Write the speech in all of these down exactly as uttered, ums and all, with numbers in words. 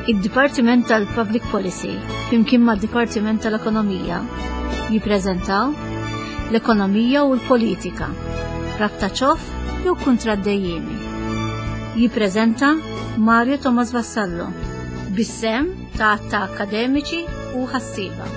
Id-Dipartiment tal-Public Policy flimkien mad-Dipartiment tal-Ekonomija jippreżentaw l-Ekonomija u l-Politika, rabta ċoff jew kuntratt dejjiemi. Jippreżenta Mario Thomas Vassallo bis-sehem ta' ta' akademiċi u ħassieba.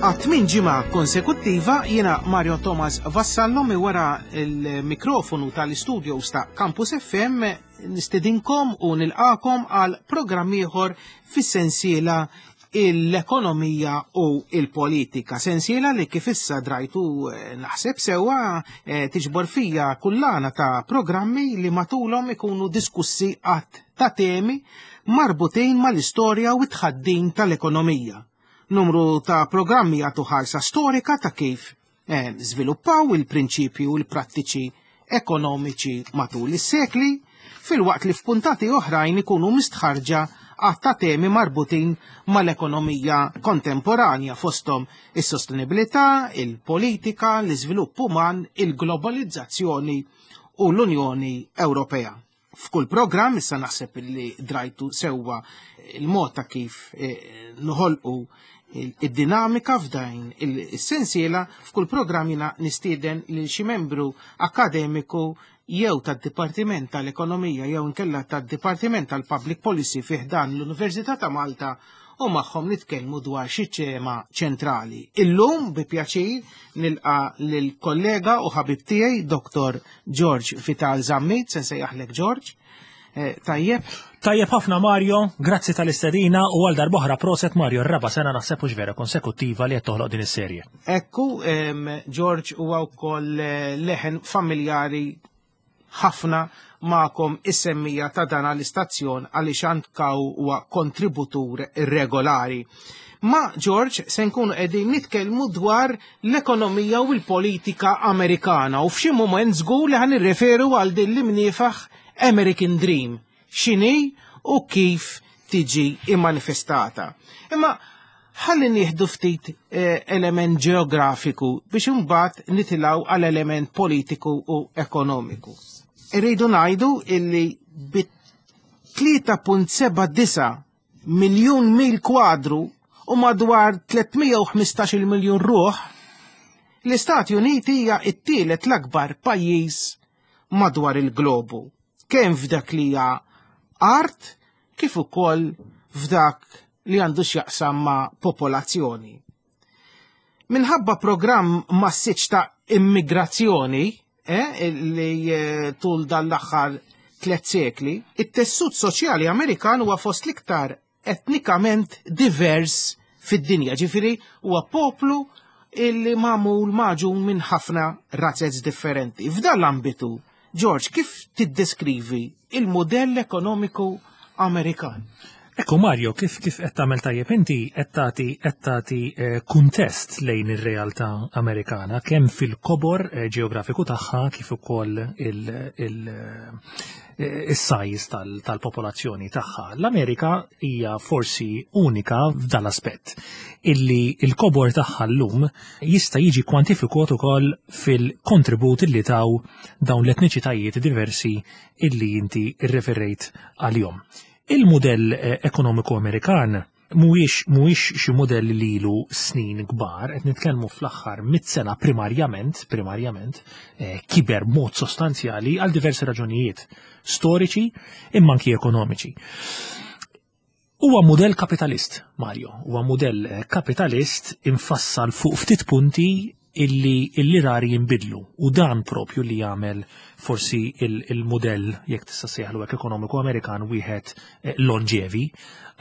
Għat-tmien ġimgħa konsekuttiva jiena Mario Thomas Vassallo mi wara il-mikrofonu tal-istudios ta' Campus F M nistedinkom u nilqakom għal programm ieħor fis-sensiela l-ekonomija u il-politika. Sensiela li kif issa drajtu eh, naħseb sewwa eh, tiġbor fija kullana ta' programmi li matulhom ikunu diskussi għadd ta' temi marbutin mal-istorja u t-tħaddim tal-ekonomija. Numru ta' programmi għatu ħarsa storika ta' kif eh, żviluppaw il-prinċipji u l-prattiċi ekonomiċi matul is-sekli, filwaqt li f'puntati oħrajn ikunu mistħarġa għadd ta' temi marbutin mal-ekonomija kontemporanja fosthom is-sostenibilità, il-politika, l-iżvilupp uman, il-globalizzazzjoni u l-Unjoni Ewropea. F'kull programm issa naħseb li drajtu sewwa il-mod ta' kif eh, noħolqu id-dinamika f'dajn il-sensiela, f'kull programm jiena nistieden lil xi membru akademiku jew tad-Dipartiment tal-Ekonomija jew inkella tad-Dipartiment tal-Public Policy fih dan l-Università ta' Malta u magħhom nitkellmu dwar xi tema ċentrali. Illum bi pjaċir nilqa' lill-kollega u ħabib tiegħi Doktor George Vital Zammit, se nsejjaħlek George. Eh, tajjeb. Tajjeb ħafna Mario, grazzi tal-istedina u għal darb'oħra proset Mario, r-raba sena naħseb hux vera konsekuttiva li qed toħloq din is-serje. Ekku, em, George huwa wkoll eh, leħen familjari ħafna magħkom is-semmija ta' dan l-istazzjon għaliex anka huwa kontributur regolari. Ma George se nkunu qegħdin nitkellmu dwar l-ekonomija u l-politika Amerikana u f'xi mument żgur li ħan nirreferu għal din l-imniefaħ American Dream, x'inhi u kif tiġi immanifestata. Imma ħalli nieħdu ftit, eh, element ġeografiku biex imbagħad nitilgħu għal element politiku u ekonomiku. Irridu ngħidu illi bi tlieta punt seba' disa' miljun mil kwadru u madwar tliet mija u ħmistax-il miljun ruħ, l-Istati Uniti hija t-tielet l-akbar pajjiż madwar il-globu, kemm f'dak li hija art kif ukoll f'dak li għandu x'jaqsam ma' popolazzjoni. Minħabba programm massiċ ta' immigrazzjoni, eh, li, eh, tul dan l-aħħar tliet sekli, it-tessut soċjali Amerikan huwa fost l-iktar etnikament divers fid-dinja, ġifieri huwa poplu illi magħmul maġun minn ħafna razzez differenti. F'dan l-ambitu, George, kif tiddeskrivi il-modell ekonomiku Amerikan? Ekku Mario, kif, kif qed tagħmel tajjeb inti qed tagħti, qed tagħti, eh, kuntest lejn ir-realtà Amerikana kemm fil-kobor, eh, ġeografiku tagħha kif ukoll il-, il-, eh, is-size tal-, tal-popolazzjoni tagħha. L-Amerika hija forsi unika f'dan l-aspett illi il-kobor tagħha llum jista' jiġi kwantifikat ukoll fil-kontribut illi taw dawn l-etniċitajiet diversi illi inti rreferejt għalihom. Il-modell, eh, ekonomiku Amerikan mhuwiex, mhuwiex xi modell li ilu snin kbar, qed nitkellmu fl-aħħar mitt sena primarjament, primarjament, eh, kiber mod sostanzjali għal diversi raġunijiet storiċi imma anki ekonomiċi. Huwa modell kapitalist, Mario, huwa modell, eh, kapitalist infassal fuq ftit punti illi, illi rari jinbidlu u dan propju li jagħmel forsi il-, il-modell jekk tista' sejħlu hekk ekonomiku Amerikan wieħed, eh, longevi.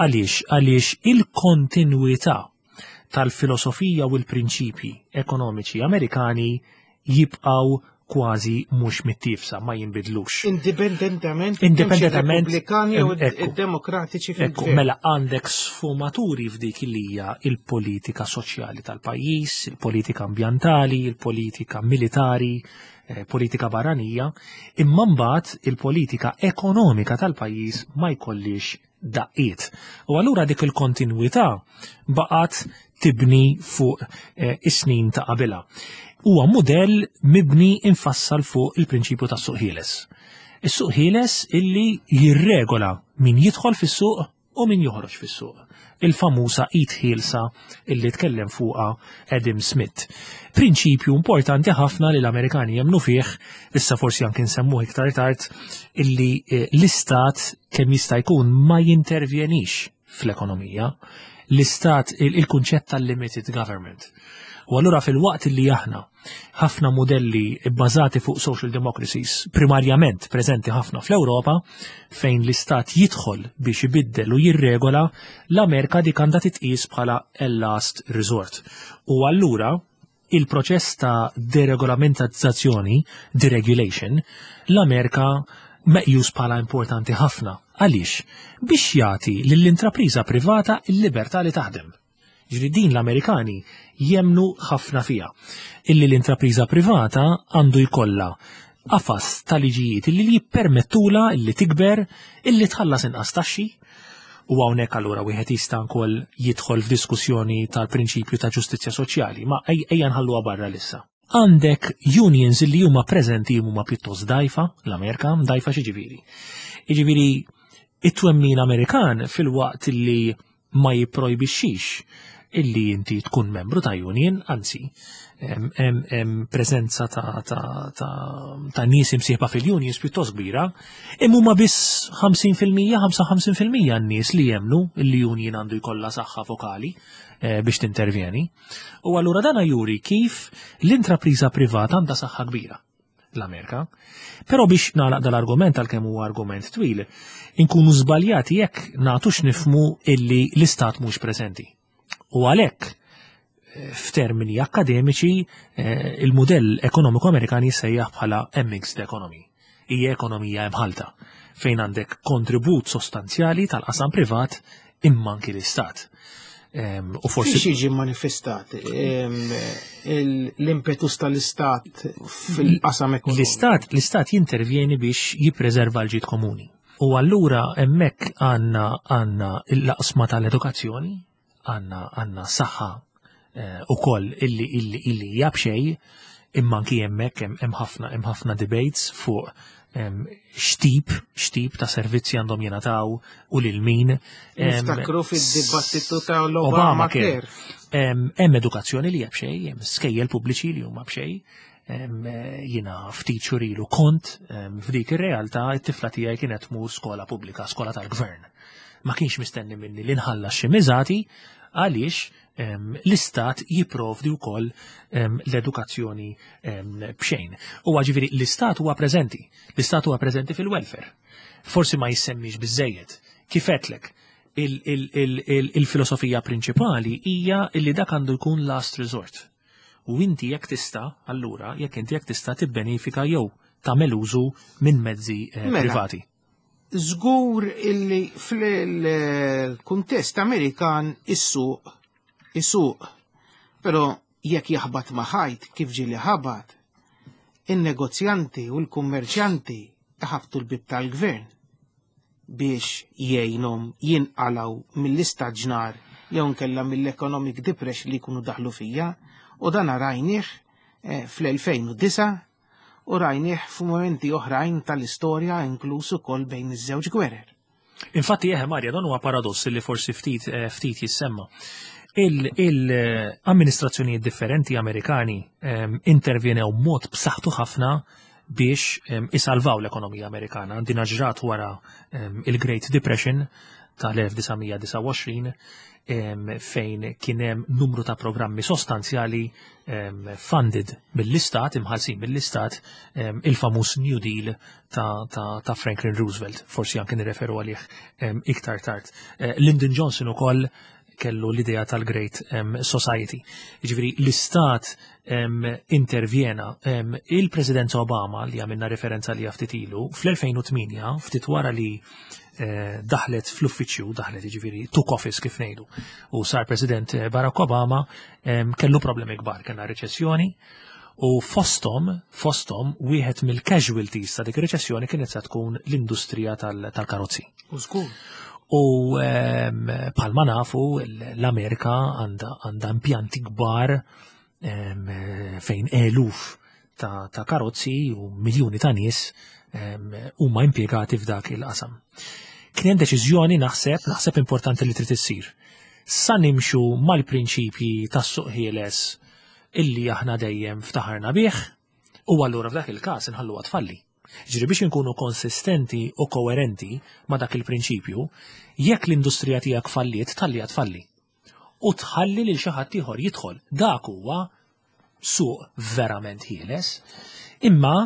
Għaliex? Għaliex il-kontinwità tal-filosofija u l-prinċipji ekonomiċi Amerikani jibqgħu kważi mhux mittifsa, ma jinbidlux. Indipendentament Indipendentament, Repubblikani u ekku. id-Demokratiċi Ekku, fil-gvern. mela għandek sfumaturi f'dik li hija il-politika soċjali tal-pajjiż, il-politika ambjentali, il-politika militari, eh, politika barranija, imma mbagħad il-politika ekonomika tal-pajjiż ma jkollix daqqiet. U allura dik il-kontinwità baqgħet Tibni fuq eh, is-snin ta' qabilha. Huwa mudell mibni, infassal fuq il-prinċipju tas-suq ħieles. Is-suq ħieles illi jirregola min jidħol fis-suq u min joħroġ fis-suq. Il-famusa id ħielsa illi tkellem fuqha Adam Smith. Prinċipju importanti ħafna li l-Amerikani jemnu fih, issa forsi anke nsemmuh iktar tard, illi eh, l-istat kemm jista' jkun ma jintervjenix fl-ekonomija. L-istat, il-kunċett tal-limited government. U allura fil-waqt li aħna ħafna modelli bbażati fuq social democracies, primarjament preżenti ħafna fl-Ewropa, fejn l-istat jidħol biex ibiddel u jirregola, l-Amerika dik għandha titqis bħala last resort. U allura il-proċess ta' deregolamentazzjoni, deregulation, l-Amerika meqjus bħala importanti ħafna. Għaliex? Biex jagħti lill-intrapriża privata il-libertà li taħdem. Ġifieri din l-Amerikani jemnu ħafna fija. Illi l-intrapriża privata għandu jkollha qafas ta' liġijiet illi jippermettula illi tikber, illi tħallas inqas taxxi, u hawnhekk allura wieħed jista' wkoll jidħol f'diskussjoni tal-prinċipju ta' ġustizzja soċjali, ma ejja nħalluha barra issa. Għandek unions illi huma preżenti, huma pjuttost dajfa, l-Amerika, dajfa x'jiġifieri? Jiġifieri it-twemmin Amerikan, fil-waqt illi ma jipprojbixxix illi inti tkun membru ta' union, anzi, hemm preżenza ta', ta, ta, ta' nies imsieħba fil-unions pjuttost kbira, imma huma biss ħamsin fil-mija, ħamsa u ħamsin fil-mija n-nies li jemnu illi union għandu jkollha saħħa vokali eh, biex tintervjeni. U allura dana juri kif l-intrapriża privata għandha saħħa kbira l-Amerika. Però biex nagħlaq dal-argument, għalkemm huwa argument twil, inkunu żbaljati jekk nagħtux nifhmu illi l-istat mhux preżenti. U għalhekk eh, f'termini akademiċi eh, il-modell ekonomiku Amerikan jissejjaħ bħala mixed economy. Hija ekonomija imħalta fejn għandek kontribut sostanzjali tal-qasam privat imma anki l-istat. Em, U forsi Fiex jiġi manifestat em, il- l-impetus tal-istat fil-qasam ekonomiku? L-istat l-istat jintervjeni biex jippreserva l-ġid komuni. U allura hemmhekk għandna għandna l-qasma tal-edukazzjoni, għandna għandna saħħa eh, ukoll illi illi illi hija b'xejn, imma anki hemmhekk hemm hemm ħafna hemm ħafna debates fuq em, x'tip x'tip ta' servizzi għandhom jingħataw u lil min. Em, Niftakru fid-dibattitu ta' l-Obamacare. Hemm hemm edukazzjoni li hija b'xejn, hemm skejjel pubbliċi li huma b'xejn. Em, eh, Jiena ftit xhur ilu kont em, f'dik ir-realtà, it-tifla tiegħi kienet tmur skola pubblika, skola tal-gvern. Ma kienx mistenni minni li nħallas xi miżati għaliex em, l-istat jipprovdi wkoll em, l-edukazzjoni em, b'xejn. U ġifieri l-istat huwa preżenti, l-istat huwa preżenti fil-welfare. Forsi ma jissemmix biżejjed. Kif għedtlek, il-filosofija prinċipali hija illi dak għandu jkun last resort. U inti jekk tista', allura, jekk inti jekk tista' tibbenefika jew tagħmel użu minn mezzi eh, Mela. privati. Żgur illi fil-kuntest Amerikan is-suq is-suq, però jekk jaħbat ma' ħajt, kif ġieli ħabat, in-negozjanti u l-kummerċjanti ħabtu l-bib tal-gvern biex jgħinhom jinqalaw mill-istaġnar jew nkella mill-economic depression li jkunu daħlu fija, u dan rajnieh eh, fl-elfejn u disgħa u rajnieh f'momenti oħrajn tal-istorja, inkluż ukoll bejn iż-żewġ gwerer. Infatti, eħe Marja, dan huwa paradoss li forsi ftit eh, ftit jissemma. Il-amministrazzjonijiet differenti Amerikani em, intervjenew mod b'saħħtu ħafna biex em, isalvaw l-ekonomija Amerikana. Din ġrat wara em, il-Great Depression tal-elf disa' mija disgħa u għoxrin, em, fejn kien hemm numru ta' programmi sostanzjali em, funded mill-istat, imħallsin mill-istat, em, il-famuż New Deal ta', ta, ta' Franklin Roosevelt, forsi anke nirreferu għalih em, iktar tard. Eh, Lyndon Johnson ukoll kellu l-idea tal-Great um, Society. Jiġifieri l-istat um, intervjena. um, il-President Obama, li għamilna referenza li ftit ilu, fl-elfejn u tmienja, ftit wara li eh, daħlet fl-uffiċċju, daħlet jiġifieri took office kif ngħidu, u sar President eh, Barack Obama, um, kellu problemi kbar, kellna reċessjoni, u fostom, fostom, wieħed mill-casualties ta' dik ir-reċessjoni kienet se tkun l-industrija tal- tal-karozzi. U żgur. U ehm, bħalma nafu l-Amerika għandha impjanti kbar ehm, fejn eluf ta', ta karozzi u miljuni ta' nies ehm, huma impjegati f'dak il-qasam. Kien hemm deċiżjoni, naħseb, naħseb importanti li trid issir. Sa nimxu mal-prinċipji tas-suq ħieles illi aħna dejjem ftaħarna bih, u allura f'dak il-każ inħalluha tfalli. Ġifieri biex inkunu konsistenti u koerenti ma' dak il-prinċipju, jekk l-industrija tiegħek falliet, tħalliha tfalli. U tħalli lil xi ħadd ieħor jidħol. Dak huwa suq verament ħieles. Imma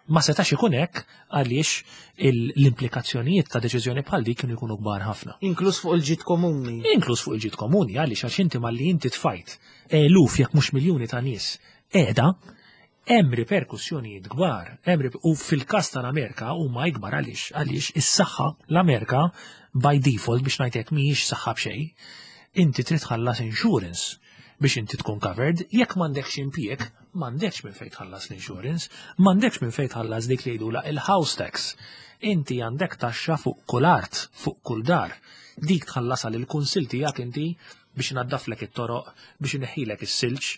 ma setax ikun hekk għaliex l-implikazzjonijiet ta' deċiżjoni bħal dik kienu jkunu kbar ħafna. Inkluż fuq il-ġid komuni. Inkluż fuq il-ġid komuni, għaliex għax inti malli inti tfajt eluf, jekk mhux miljuni, ta' nies qiegħda, hemm riperkussjonijiet kbar, hemm, u fil-każ tal-Amerika huma ikbar. Għaliex għaliex is-saħħa, l-Amerika by default, biex ngħidlek, mhijiex saħħa b'xejn. Inti trid tħallas insurance biex inti tkun covered. Jekk m'għandekx impjieg, m'għandekx minn fejn tħallas l-insurance, m'għandekx minn fejn tħallas dik li jgħidula il-house tax. Inti għandek taxxa fuq kull art, fuq kull dar. Dik tħallasha lil kunsil tiegħek inti biex inaddaflek it-toroq, biex ineħħilek is-silġ,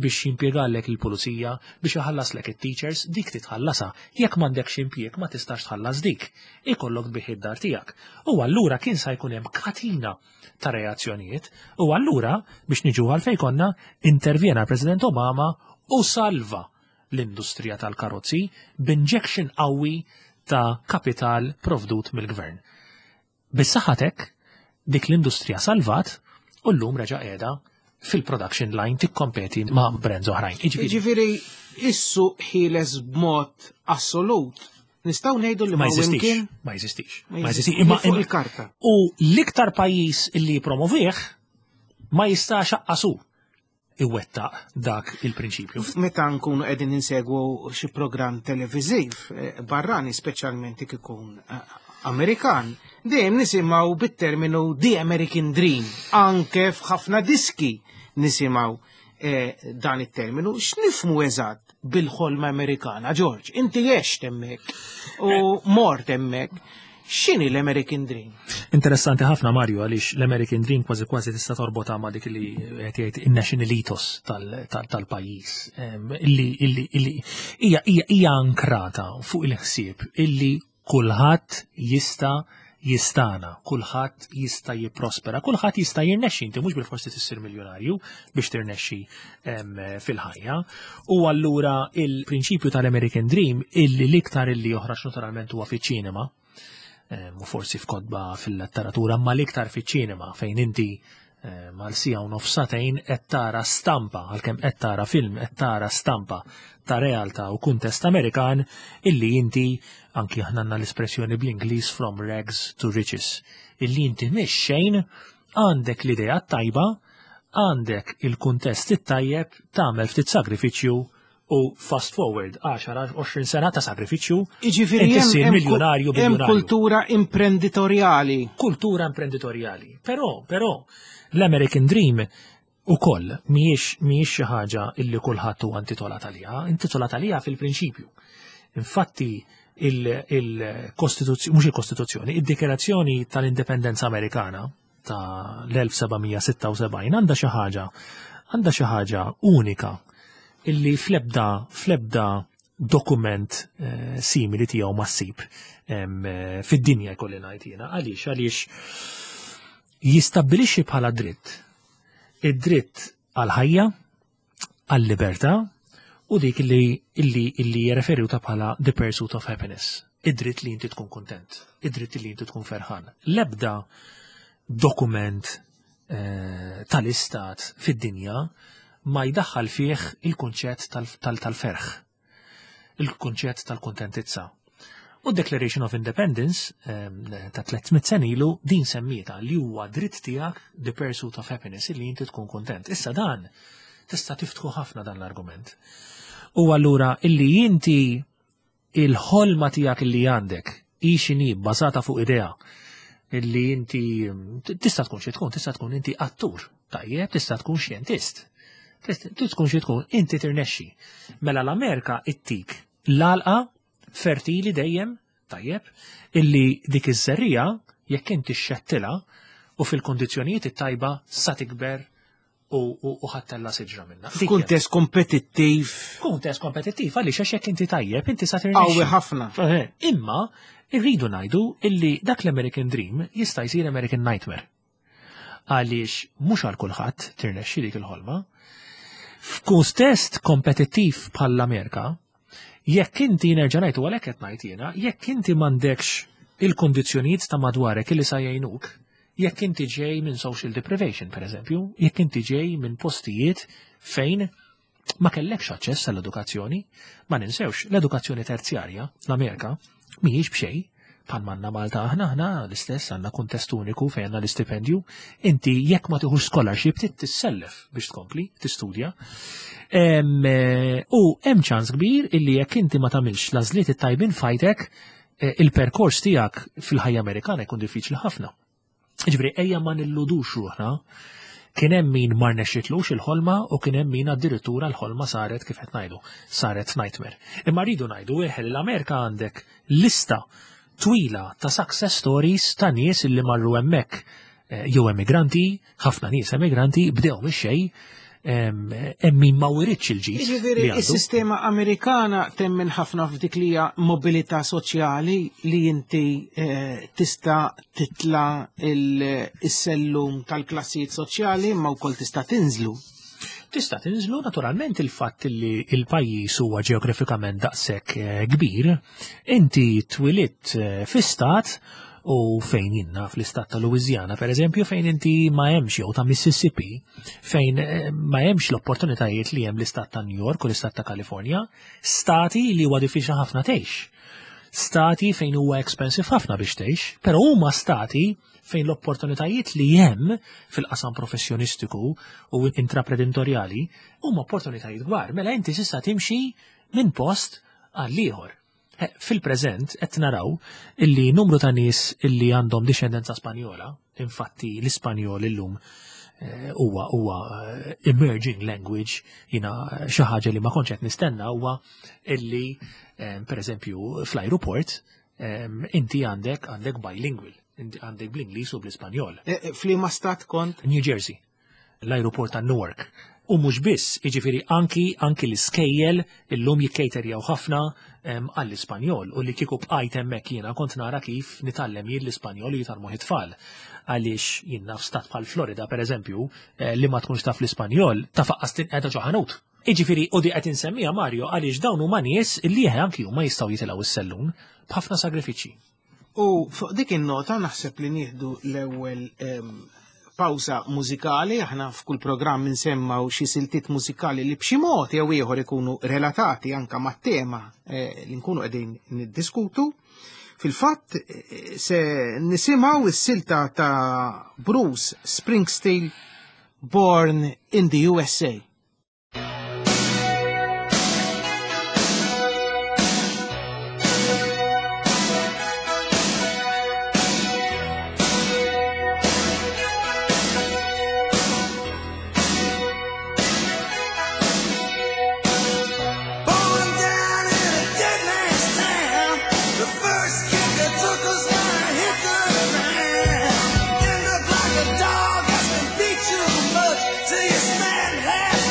biex jimpjegalek il-pulizija, biex iħallaslek it-teachers, dik titħallasha. Jekk m'għandekx impjieg, ma tistax tħallas dik. Ikollok tbigħ id-dar tiegħek. U allura kien sa jkun hemm katina ta' reazzjonijiet u allura, biex niġu għal fejn konna, intervjena President Obama u salva l-industrija tal-karozzi b'injection qawwi ta' kapital provdut mill-gvern. Bis-saħħatek dik l-industrija salvat u llum reġa' qiegħda fil-production line tikkompeti ma' brands oħrajn. Jiġifieri is-suq ħieles b'mod assolut. Nistgħu ngħidu li ma jeżistix. Ma jeżistix. Ma jeżistix. Imma fuq il-karta. U l-iktar pajjiż illi promovih ma jistax aqqasu iwettaq dak il-prinċipju. Meta nkunu qegħdin insegwu xi programm televiżiv eh, barrani, speċjalment ikun eh, Amerikan, dejjem nisimgħu bit-terminu "The American Dream", anke f'ħafna diski nisimgħu eh, dan it-terminu. X'nifhmu eżatt bil-ħolma Amerikana, George? Inti għext hemmhekk u mort hemmhekk. X'inhi l-American Dream? Interessanti ħafna, Mario, għaliex l-American Dream kważi kważi tista' torbota ma' dik li qed jgħid in-national ethos tal-pajjiż. Illi illi illi hija hija ankrata fuq il-ħsieb illi kulħadd jista' jistana, kulħadd jista' jipprospera, kulħadd jista' jirnexxi. Inti mhux bil-forsi tissir miljonarju biex tirnexxi fil-ħajja. U allura il-prinċipju tal-American Dream, illi l-iktar illi joħraġ naturalment huwa fiċ-ċinema, u forsi f'kotba fil-letteratura, ma l-iktar fiċ-ċinema, fejn inti mal siegħa u nofs, sagħtejn qed tara stampa, għalkemm qed tara film, qed tara stampa ta' realtà u kuntest Amerikan illi inti, anki aħna għandna l-espressjoni bl-Ingliż "from rags to riches", illi inti mhix xejn, għandek l-idea tajba, għandek il-kuntest it-tajjeb, tagħmel ftit sagrifiċċju u fast forward għaxar għoxrin sena ta' sagrifiċċju, Jiġifieri inti ssir hemm miljonarju, hemm biljonarju. Kultura imprenditorjali. Kultura imprenditorjali. Però, però, l-American Dream ukoll mhijiex mhijiex xi ħaġa illi kulħadd huwa intitolat għaliha, intitolat għaliha fil-prinċipju. Infatti il-Kostituzzjoni, mhux il-Kostituzzjoni, id-Dikjarazzjoni tal-Indipendenza Amerikana ta' l-elf seba' mija sitta u sebgħin għandha xi ħaġa għandha xi ħaġa unika illi fl-ebda fl-ebda dokument eh, simili tiegħu ma ssib em, eh, fid-dinja, jkolli ngħid jiena. Għaliex għaliex jistabbilixxi bħala dritt id-dritt għal ħajja, għal-libertà u dik li illi illi jirreferu ta' bħala the pursuit of happiness. Id-dritt li inti tkun kontent, id-dritt li inti tkun ferħan. L-ebda dokument eh, tal-istat fid-dinja ma jdaħħal fih il-kunċett tal-ferħ, il-kunċett tal-kontentizza. U Declaration of Independence ta' tliet mitt sena ilu din semmieta li huwa dritt tiegħek, the pursuit of happiness, li inti tkun kontent. Issa dan tista' tiftħu ħafna dan l-argument. U allura illi inti il-ħolma tiegħek illi għandek hi x'inhi, bbażata fuq idea illi inti tista' tkun xi tkun, tista' tkun inti attur, tajjeb, tista' tkun xjentist. Tista' tkun xi tkun, inti tirnexxi. Mela l-Amerika ittik l-għalqa fertili dejjem, tajjeb, illi dik iż-żerriegħa jekk inti xxettilha u fil-kondizzjonijiet it-tajba sa tikber u, u, u ħa ttella' siġra minnha. Dik hija. F'kuntest kompetittiv Kuntest kompetittiv, għaliex għax jekk inti tajjeb, inti sa tirnexxi. qawwi ħafna. Eh, Imma irridu ngħidu illi dak l-American Dream jista' jsir American Nightmare. Għaliex mhux għal kulħadd tirnexxi dik il-ħolma. F'kuntest kompetittiv bħall-Amerika, jekk inti nerġa' ngħid u għalhekk qed ngħid jiena, jekk inti m'għandekx il-kondizzjonijiet ta' madwarek illi sa jgħinuk, jekk inti ġej minn social deprivation, per eżempju, jekk inti ġej minn postijiet fejn ma kellekx aċċess għall-edukazzjoni, ma ninsewx l-edukazzjoni terzjarja l-Amerika mhijiex b'xejn, bħal m'għandna Malta aħna aħna l-istess għandna kuntest uniku fejn għandna l-istipendju, inti jekk ma tieħux scholarship trid tissellef biex tkompli tistudja. Em, eh, U hemm ċans kbir illi jekk inti ma tagħmilx l-għażliet it-tajbin f'ħajtek, eh, il-perkors tiegħek fil-ħajja Amerikana jkun diffiċli ħafna. Ġifieri ejja ma nilludux ruħna, kien hemm min ma rnexxitlux il-ħolma u kien hemm min addirittura l-ħolma saret kif qed ngħidu, saret nightmare. Imma rridu ngħidu eħe li l-Amerika għandek lista twila ta' success stories ta' nies illi marru hemmhekk eh, jew emigranti, ħafna nies emigranti bdew mix-xejn, em, hemm min ma wiritx il-ġid Jiġifieri li għandu. is-sistema Amerikana temmen ħafna f'dik li hija mobilità soċjali li inti eh, tista' titla' il- is-sellum tal-klassijiet soċjali imma wkoll tista' tinżlu. Tista' tinżlu naturalment il-fatt li il-pajjiż huwa ġeografikament daqshekk eh, kbir, inti twilidt eh, fi stat u fejn jiena fl-istat ta' Louisiana, per eżempju, fejn inti ma hemmx jew ta' Mississippi, fejn eh, ma hemmx l-opportunitajiet li hemm l-istat ta' New York u l-istat ta' California, stati li huwa diffiċli ħafna tgħix. Stati fejn huwa expensive ħafna biex tgħix, però huma stati fejn l-opportunitajiet li hemm fil-qasam professjonistiku u intraprenditorjali huma opportunitajiet kbar. Mela inti s'issa timxi minn post għal ieħor. Eh, Fil-preżent qed naraw illi numru ta' nies illi għandhom dixxendenza Spanjola, infatti l-Ispanjol illum eh, huwa huwa eh, emerging language, jiena xi ħaġa li ma kontx qed nistenna huwa illi eh, per eżempju fl-aeroport eh, inti għandek għandek bilingual, inti għandek bl-Ingliż u bl-Ispanjol. Eh, eh, F'liema stat kont? New Jersey, l-aeroport ta' Newark. U mhux biss, jiġifieri anki anki l-iskejjel illum jikkejterjaw ħafna em, għall-Ispanjol u li kieku bqajt hemmhekk jiena kont nara kif nitgħallem jien l-Ispanjol u jitgħallmu it-tfal. Għaliex jiena f'stat bħal Florida pereżempju, eh, li ma tkunx taf l-Ispanjol, tafaqqas tinqeda ġo ħanut. Jiġifieri u di qed insemmija Mario għaliex dawn huma nies illi eħe anki huma jistgħu jitilgħu is-sellum b'ħafna sagrifiċċji. U fuq dik in-nota naħseb li nieħdu l-ewwel em, pawża mużikali, aħna f'kull programm insemmaw xi siltiet mużikali li b'xi mod jew ieħor ikunu relatati anka mat-tema eh, li nkunu qegħdin niddiskutu. Fil-fatt eh, se nisimgħu is-silta ta' Bruce Springsteen Born in the U S A. Born down in a dead man's town. The first kick I took was when I hit the ground. End up like a dog that's been beat too much till you smack half.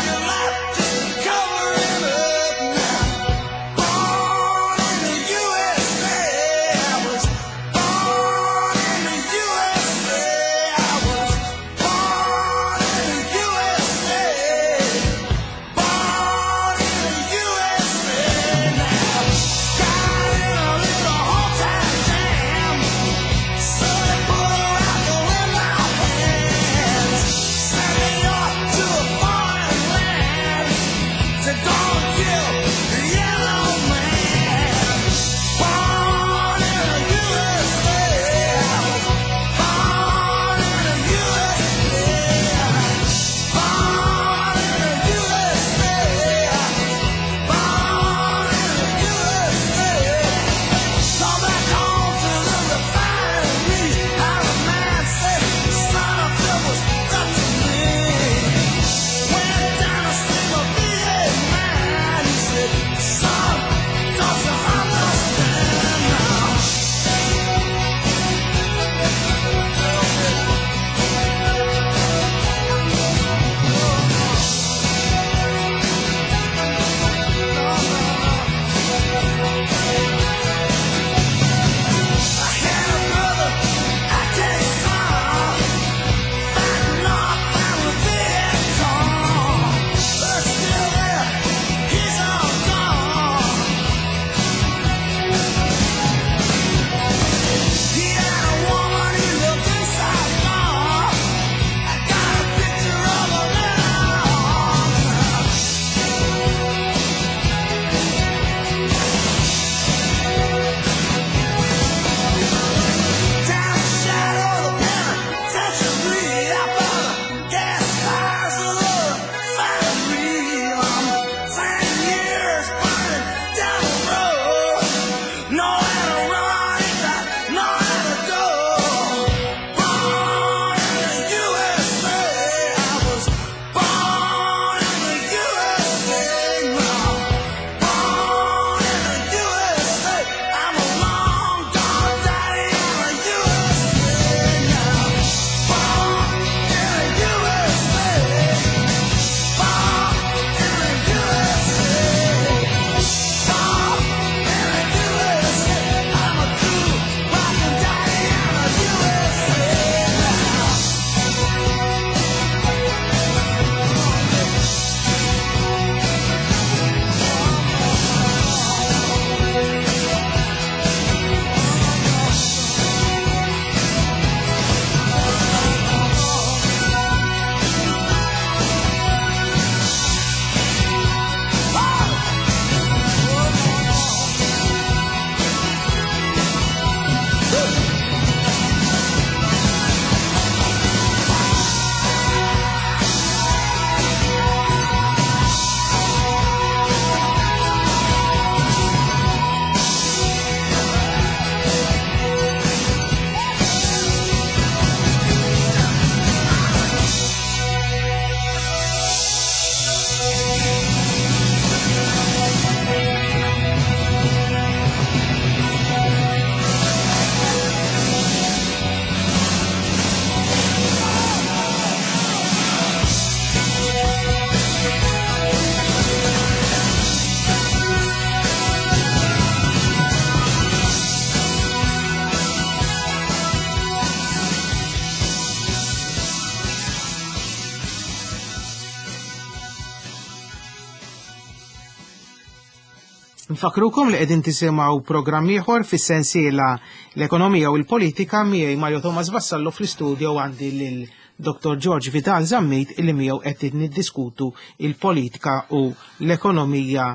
Nfakrukom li qegħdin tisimgħu programm ieħor fis-sensiela l-ekonomija u l-politika miegħi Mario Thomas Vassallo. Fl-istudio għandi lil Doctor George Vidal Zammit, illi miegħu qed niddiskutu il-politika u l-ekonomija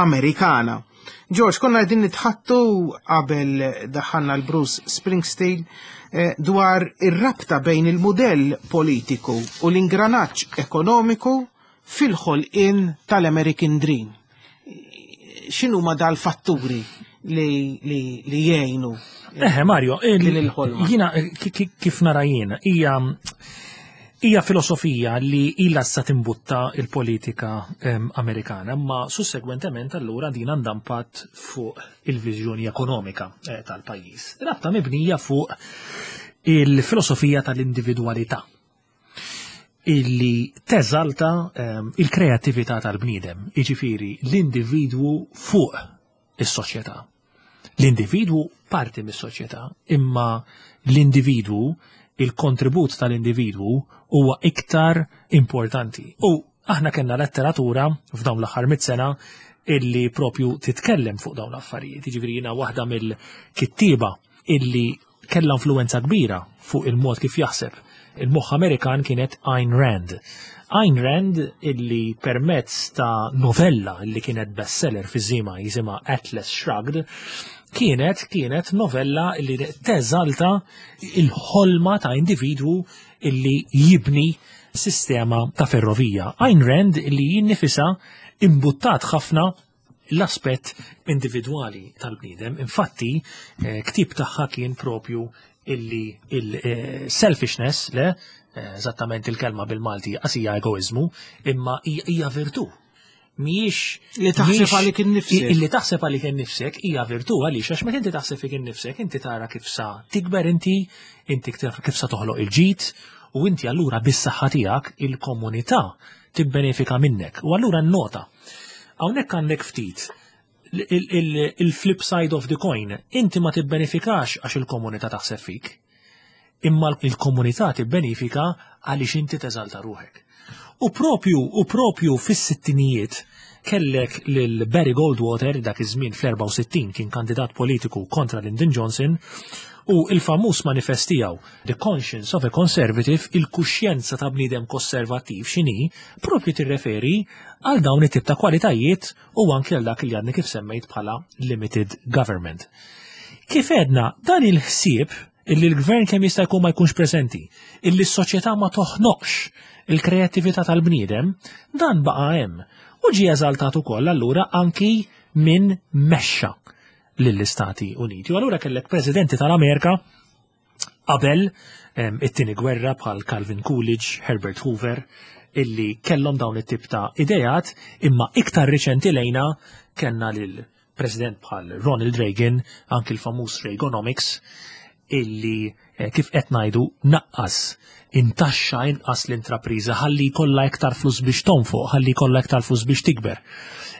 Amerikana. George, konna qegħdin nitħaddtu qabel daħħalna l-Bruce Springsteen eh, dwar ir-rabta bejn il-modell politiku u l-ingranaġġ ekonomiku fil-ħolqien tal-American Dream. X'inhuma dal-fatturi li, li, li jgħinu Eħe, Mario, din il-ħolma? Jiena kif nara jien, hija hija filosofija li ilha sa timbutta il-politika Amerikana, ma sussegwentement allura din għandha impatt fuq il-viżjoni ekonomika eh, tal-pajjiż. Rabta mibnija fuq il-filosofija tal-individualità illi teżalta um, il-kreatività tal-bniedem, iġifiri l-individwu fuq is-soċjetà. L-individwu parti mis-soċjetà, imma l-individwu, il-kontribut tal-individwu huwa iktar importanti. U aħna kellna letteratura f'dawn l-aħħar mit sena illi propju titkellem fuq dawn l-affarijiet. Jiġifieri jiena waħda mill-kittiba illi kellha influenza kbira fuq il-mod kif jaħseb il-moħħ Amerikan kienet Ayn Rand. Ayn Rand, illi permezz ta' novella illi kienet bestseller fi żmienha jisimha Atlas Shrugged, kienet kienet novella illi teżalta il-ħolma ta' individwu illi jibni sistema ta' ferrovija. Ayn Rand illi jinnifisa imbuttat ħafna l-aspett individwali tal-bniedem. Infatti, eh, ktib tagħha kien propju illi il-selfishness, le, eh, eżattament il-kelma bil-Malti qasija egoizmu, imma hija virtu. Mhijiex Li taħseb mhijiex- għalik innifsek. Illi taħseb għalik innifsek hija virtu. Għaliex? Għax meta inti taħseb fik innifsek, inti tara kif sa tikber inti, inti kif sa toħloq il-ġid, u inti allura bis-saħħa tiegħek il-komunità tibbenefika minnek. U allura nota. Hawnhekk għandek ftit il-flip side of the coin. Inti ma tibbenefikax għax il-komunità taħseb fik, imma il-komunità tibbenefika għaliex inti teżalta ruħek. U propju, u propju fis-sittinijiet kellek lil Barry Goldwater, dak iż-żmien fl-erbgħa u sittin kien kandidat politiku kontra Lyndon Johnson, u il-famuż manifest tiegħu The Conscience of a Conservative, il-kuxjenza ta' bniedem konservattiv x'inhi, propju tirreferi għal dawn it-tip ta' kwalitajiet u anki għal dak li għadni kif semmejt bħala limited government. Kif edna, dan il-ħsieb illi l-gvern kemm jista' jkun ma jkunx preżenti, illi s-soċjetà ma toħnoqx il-kreattività tal-bniedem, dan baqa' hemm. U ġie eżaltat ukoll allura anki minn mexxa lill-Istati Uniti. U allura kellek presidenti tal-Amerika qabel it-tieni gwerra bħal Calvin Coolidge, Herbert Hoover, illi kellhom dawn it-tip ta' idejat, imma iktar riċenti lejna kellna lil president bħal Ronald Reagan, anki l-famuż Reaganomics, illi eh, kif qed ngħidu naqqas intaxxa inqas l-intrapriża ħalli jkollha iktar flus biex tonfoq, ħalli jkollha iktar flus biex tikber.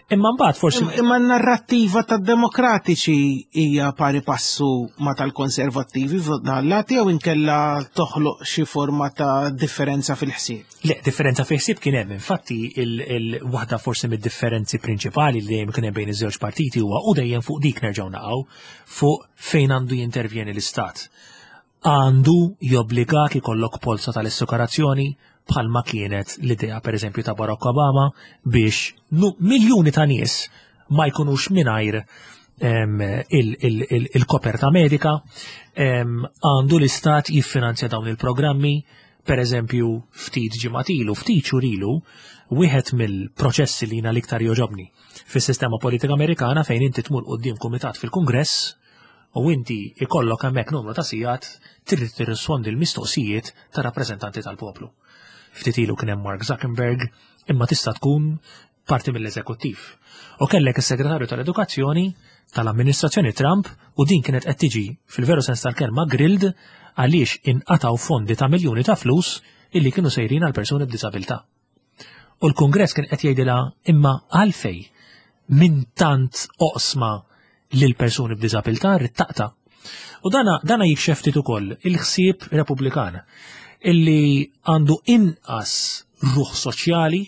Imma mbagħad forsi Imma n-narrattiva tad-demokratiċi hija pari passu ma tal-konservattivi f'dan jew inkella toħloq xi forma ta' differenza fil-ħsieb? Le, differenza fil-ħsieb kien hemm. Infatti il-waħda forsi mid-differenzi prinċipali li dejjem kien hemm bejn iż-żewġ partiti huwa, u dejjem fuq dik nerġgħu naqgħu, fuq fejn għandu jintervjeni l-istat. Għandu jobbligak ikollok polza tal-assikurazzjoni, bħalma kienet l-idea per eżempju ta' Barack Obama biex miljuni ta' nies ma jkunux mingħajr il-koperta medika? Għandu l-istat jiffinanzja dawn il-programmi? Per eżempju, ftit ġimgħat ilu, ftit xhur ilu, wieħed mill-proċessi li jiena l-iktar joġobni fis-sistema politika Amerikana, fejn inti tmur quddiem kumitat fil-Kungress u inti ikollok hemmhekk numru ta' sigħat trid tirrispondi l-mistoqsijiet ta' rappreżentanti tal-poplu. Ftit ilu kien hemm Mark Zuckerberg, imma tista' tkun parti mill-eżekuttiv. U kellek is-segretarju tal-Edukazzjoni tal-amministrazzjoni Trump, u din kienet qed tiġi fil-veru sens tal-kelma grilled għaliex inqataw fondi ta' miljuni ta' flus illi kienu sejrin għal persuni b'disabilità. U l-Kongress kien qed jgħidilha: imma għalfej minn tant oqsma lil persuni b'disabilità rrid taqta'? U dana, dana jikxef ftit ukoll il-ħsieb Repubblikan illi għandu inqas ruħ soċjali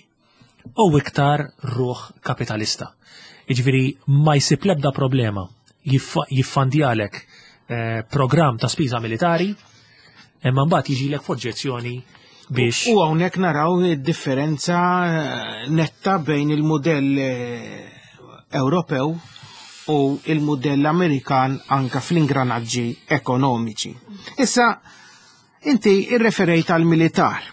u iktar ruħ kapitalista. Jiġifieri ma jsib l-ebda problema jiffandjalek eh, programm ta' spiża militari, imma mbagħad jiġilek f'oġġezzjoni biex. U hawnhekk naraw id-differenza eh, netta bejn il-modell eh, Ewropew u il-modell Amerikan anka fl-ingranaġġi ekonomiċi. Issa, inti irreferejt għal militar.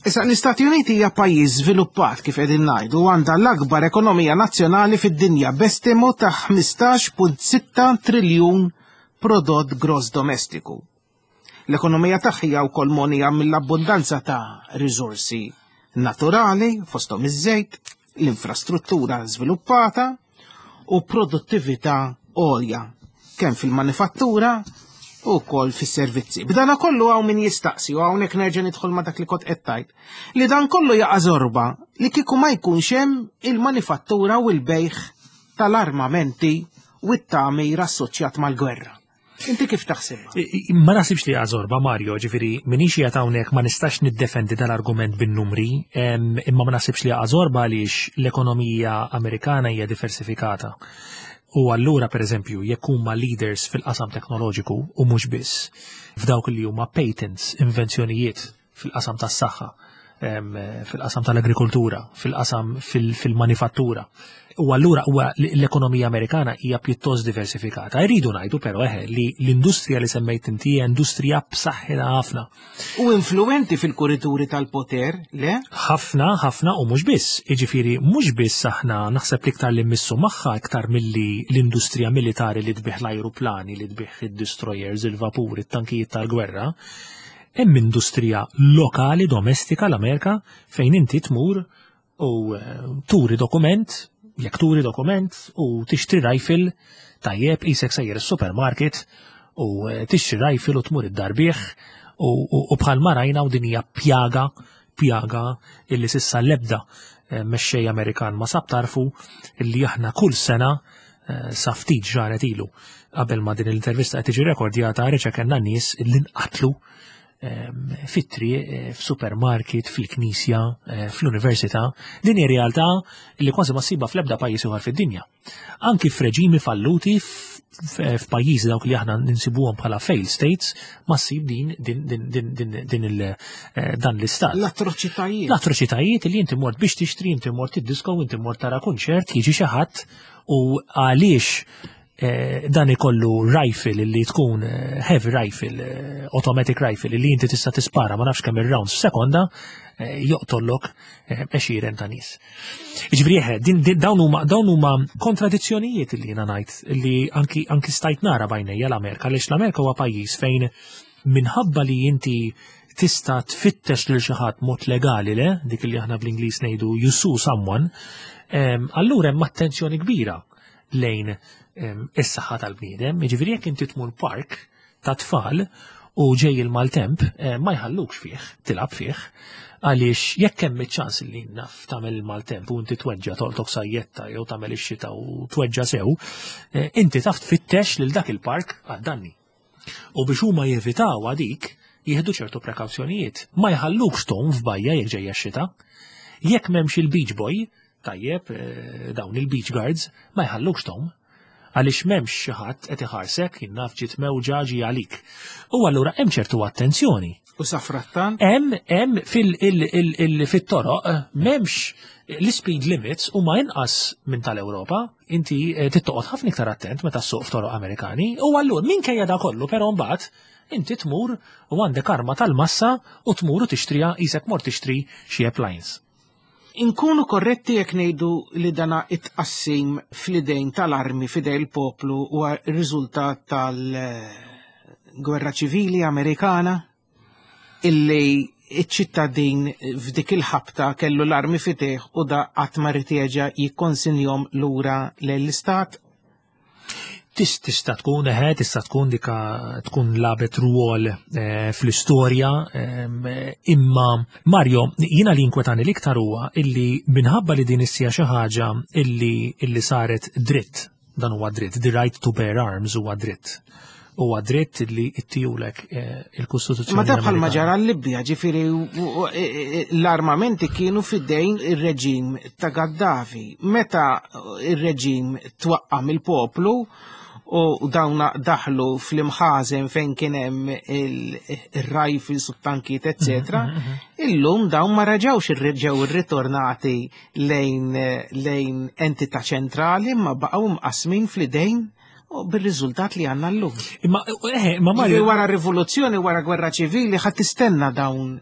Issa, l-Istati Uniti hija pajjiż żviluppat, kif qegħdin ngħidu, għandha l-akbar ekonomija nazzjonali fid-dinja b'estimu ta' ħmistax punt sitta triljun prodott gross domestiku. L-ekonomija tagħha hija wkoll mogħnija mill-abbundanza ta' riżorsi naturali, fosthom iż-żejt, l-infrastruttura żviluppata u produttività għolja kemm fil-manifattura u wkoll fis-servizzi. B'dana kollu hawn min jistaqsi, u hawnhekk nerġa' nidħol ma' dak li kont qed tgħid, li dan kollu jaqa' żorba li kieku ma jkunx hemm il-manifattura u l-bejgħ tal-armamenti u t-tagħmir assoċjat mal-gwerra. Inti kif taħsibha? Ma naħsibx li żorba, Mario, ġifieri, minix qiegħed hawnhekk, ma nistax niddefendi dal-argument bin-numri, imma ma naħsibx li żorba għaliex l-ekonomija Amerikana hija diversifikata. U allura, per eżempju, jekk huma leaders fil-qasam teknoloġiku u mhux biss, f'dawk li huma patents, invenzjonijiet fil-qasam tas-saħħa, fil-qasam tal-agrikoltura, fil-qasam fil-manifattura. U allura huwa l-ekonomija Amerikana hija pjuttost diversifikata. Irridu ngħidu però eħe li l-industrija li semmejt inti hija industrija b'saħħitha ħafna. U influenti fil-kurituri tal-poter, le? Ħafna, ħafna, u mhux biss. Jiġifieri mhux biss, aħna naħseb li iktar li mmissu magħha iktar milli l-industrija militari li tbigħ l-ajruplani, li tbigħ id-destroyers, il-vapuri, it-tankijiet tal-gwerra, hemm industrija lokali domestika l-Amerika fejn inti tmur u eh, turi dokument, jekk turi dokument u tixtri rifle, tajjeb, qisek sejjer is-supermarket u eh, tixtri rifle u tmur id-dar bih u, u, u bħal ma rajna, u din hija pjaga pjaga illi s'issa l-ebda eh, mexxej Amerikan ma sab tarfu, illi aħna kull sena, eh, sa ftit ġranet ilu qabel ma din l-intervista qed tiġi rekordjata, reġa' kellna nies illi nqatlu em, fit-triq, eh, f'supermarket, fil-knisja, eh, fl-università. Din hi realtà li kważi ma ssibha fl-ebda pajjiż ieħor fid-dinja. Anki f'reġimi falluti, f- f'pajjiżi dawk li aħna ninsibuhom bħala failed states, ma ssib din din din din din din il eh, dan l-istat. L-atroċitajiet. L-atroċitajiet li inti mort biex tixtri, inti mort id-disco, inti mort tara kunċert, jiġi xi ħadd u għaliex eh, dan ikollu rifle li tkun eh, heavy rifle, eh, automatic rifle li inti tista' tispara ma nafx kemm ir-rounds f'sekonda, eh, joqtollok eh, għexieren ta' nies. Jiġifieri eħe, din, din, dawn huma dawn huma kontradizzjonijiet li jiena ngħid li anki anki stajt nara b'għajnejja l-Amerika, għaliex l-Amerika huwa pajjiż fejn minħabba li inti tista' tfittex lil xi ħadd mod legali, le, dik li aħna bl-Ingliż ngħidu you sue someone, em, allura hemm attenzjoni kbira lejn em, is-saħħa tal-bniedem. Jiġifieri jekk inti tmur park ta' tfal u ġej il-maltemp, eh, ma jħallukx fih, tilgħab fih, għaliex jekk hemm iċ-ċans li naf tagħmel il-maltemp u inti tweġġa, tolqtok sajjetta, jew tagħmel ix-xita u tweġġa sew, eh, inti taf tfittex lil dak il-park għad-danni. U biex huma jevitaw għadik, jieħdu ċertu prekawzjonijiet. Ma jħallukx tgħum f'bajja jekk ġejja x-xita. Jekk m'hemmx il-beach boy, tajjeb, eh, dawn il-beach guards, ma jħallukx tgħum. Għaliex m'hemmx xi ħadd qed iħarsek, jien naf, ġiet mewġa ġi għalik. U allura hemm ċertu attenzjoni. U safrattan, Hemm hemm fil il- il- il- fit-toroq eh, m'hemmx l-speed limits huma inqas minn tal-Ewropa. Inti eh, trid toqgħod ħafna iktar attent meta ssuq f'toroq Amerikani. U allura minkejja da kollu però mbagħad inti tmur u għandek arma tal-massa u tmur u tixtriha qisek mort tixtri xi appliance. Inkunu korretti jekk ngħidu li dana it-tqassim fl-idejn tal-armi f'idej il-poplu huwa r-riżultat tal-gwerra ċivili Amerikana, illi iċ-ċittadin f'dik il-ħabta kellu l-armi f'idejh u da qatt ma ried jerġa' jikkonsinjahom lura lill-istat? Tis tista' tkun, eħe, tista' tkun dika tkun lagħbet rwol eh, fl-istorja, em, imma Mario, jiena li inkwetani l-iktar huwa illi minħabba li din issija xi ħaġa illi illi saret dritt, dan huwa dritt, the right to bear arms huwa dritt. Huwa dritt li ttihulek eh, il-Kostituzzjoni. Ma da bħalma Amerikana. Ġara l-Libja, ġifieri u- u- e- e- l-armamenti kienu fidejn ir-reġim ta' Gaddafi. Meta ir-reġim twaqqa mill-poplu u dawna daħlu fl-imħazen fejn kien hemm il-rifles u tankiet, eccetera, illum dawn ma raġawx irreġgħu irritornati lejn lejn entità ċentrali, ma baqgħu mqasmin fl-idejn u bir-riżultat li għandna llum. Imma eh, imma Ġifieri Mario, wara rivoluzzjoni, wara gwerra ċivili, ħadd tistenna dawn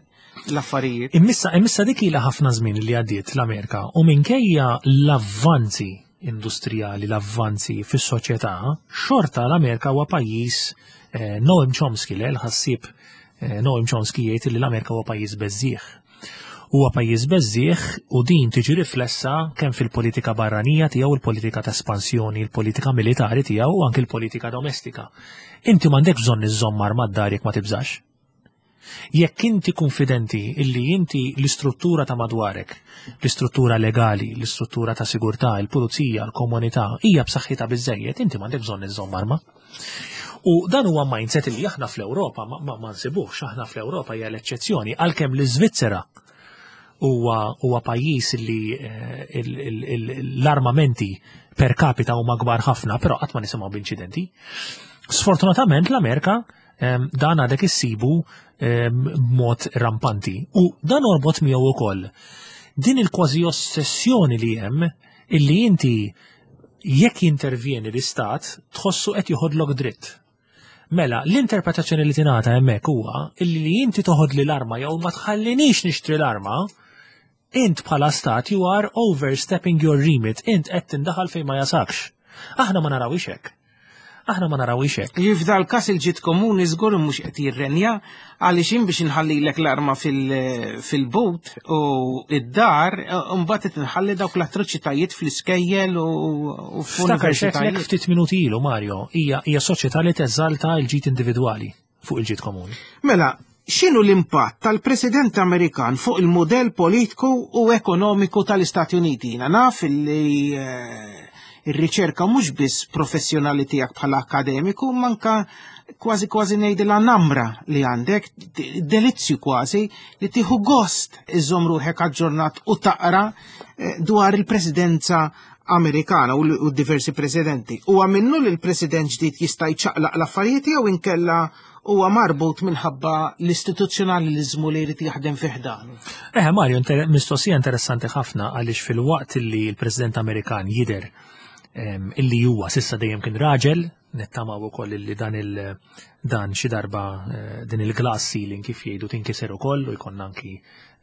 l-affarijiet. Immissa, immissa dik ilha ħafna żmien li għaddiet l-Amerika u minkejja l-avvanzi industrijali, l-avvanzi fis-soċjetà, xorta l-Amerika huwa pajjiż, eh, Noam Chomsky, le, l-ħassieb eh, Noam Chomsky jgħid li l-Amerika huwa pajjiż beżżieħ. Huwa pajjiż beżżieħ u din tiġi riflessa kemm fil-politika barranija tiegħu, il-politika ta' espansjoni, il-politika militari tiegħu u anke il-politika domestika. Inti m'għandekx bżonn iżżomm arma d-dar jekk ma tibżax. Jekk inti konfidenti illi inti l-istruttura ta' madwarek, l-istruttura legali, l-istruttura ta' sigurtà, il-pulizija, l-komunità, hija b'saħħitha biżejjed, inti m'għandek bżonn iżżomm arma. U dan huwa mindset li aħna fl-Ewropa ma, ma, ma nsibux, aħna fl-Ewropa hija l-eċċezzjoni, għalkemm l-Iżvizzera huwa huwa pajjiż li eh, il- il- il- l-armamenti per capita huma kbar ħafna, però qatt ma nisimgħu b'inċidenti. Sfortunatament l-Amerika em, dan għadek issibu em, b'mod rampanti. U dan orbot miegħu ukoll din il-kważi ossessjoni li hemm illi inti jekk jintervjeni l-istat tħossu qed joħodlok dritt. Mela, l-interpretazzjoni li tingħata hemmhekk huwa illi li inti toħodli l-arma jew ma tħallinix nixtri l-arma, int bħala stat you are overstepping your remit, int qed tindaħal fejn ma jasakx. Aħna ma narawix hekk. Aħna ma narawix hekk. F'dal każ il-ġid komuni żgur mhux qed jirrenja, għaliex jien biex inħallilek l-arma fil- fil-but u id-dar, mbagħad qed inħalli dawk l-atroċitajiet fl-iskejjel u u Ftakar x'għedtlek f'universitajiet. Ftit minuti ilu, Mario, hija hija soċjetà li teżalta l-ġid individwali fuq il-ġid komuni. Mela, x'inhu l-impatt tal-President Amerikan fuq il-modell politiku u ekonomiku tal-Istati Uniti? Jiena naf li eh, ir-riċerka mhux biss professjonali tiegħek bħala akademiku, manka kważi kważi ngħidilha namra li għandek, delizzju kważi li tieħu gost iżżomm ruħek aġġornat u taqra eh, dwar il-presidenza Amerikana u l- u diversi presidenti. Huwa minnu li l-president ġdid jista' jċaqlaq l-affarijiet jew inkella huwa marbut minħabba l-istituzzjonalizmu li jrid jaħdem fih dan? Eh, Mario, inter mistoqsija interessanti ħafna, għaliex fil-waqt li l-President Amerikan jider em, illi huwa s'issa dejjem kien raġel, nittamaw ukoll illi dan il dan xi darba eh, din il-glass ceiling, kif jgħidu, tinkiser ukoll u jkollna anki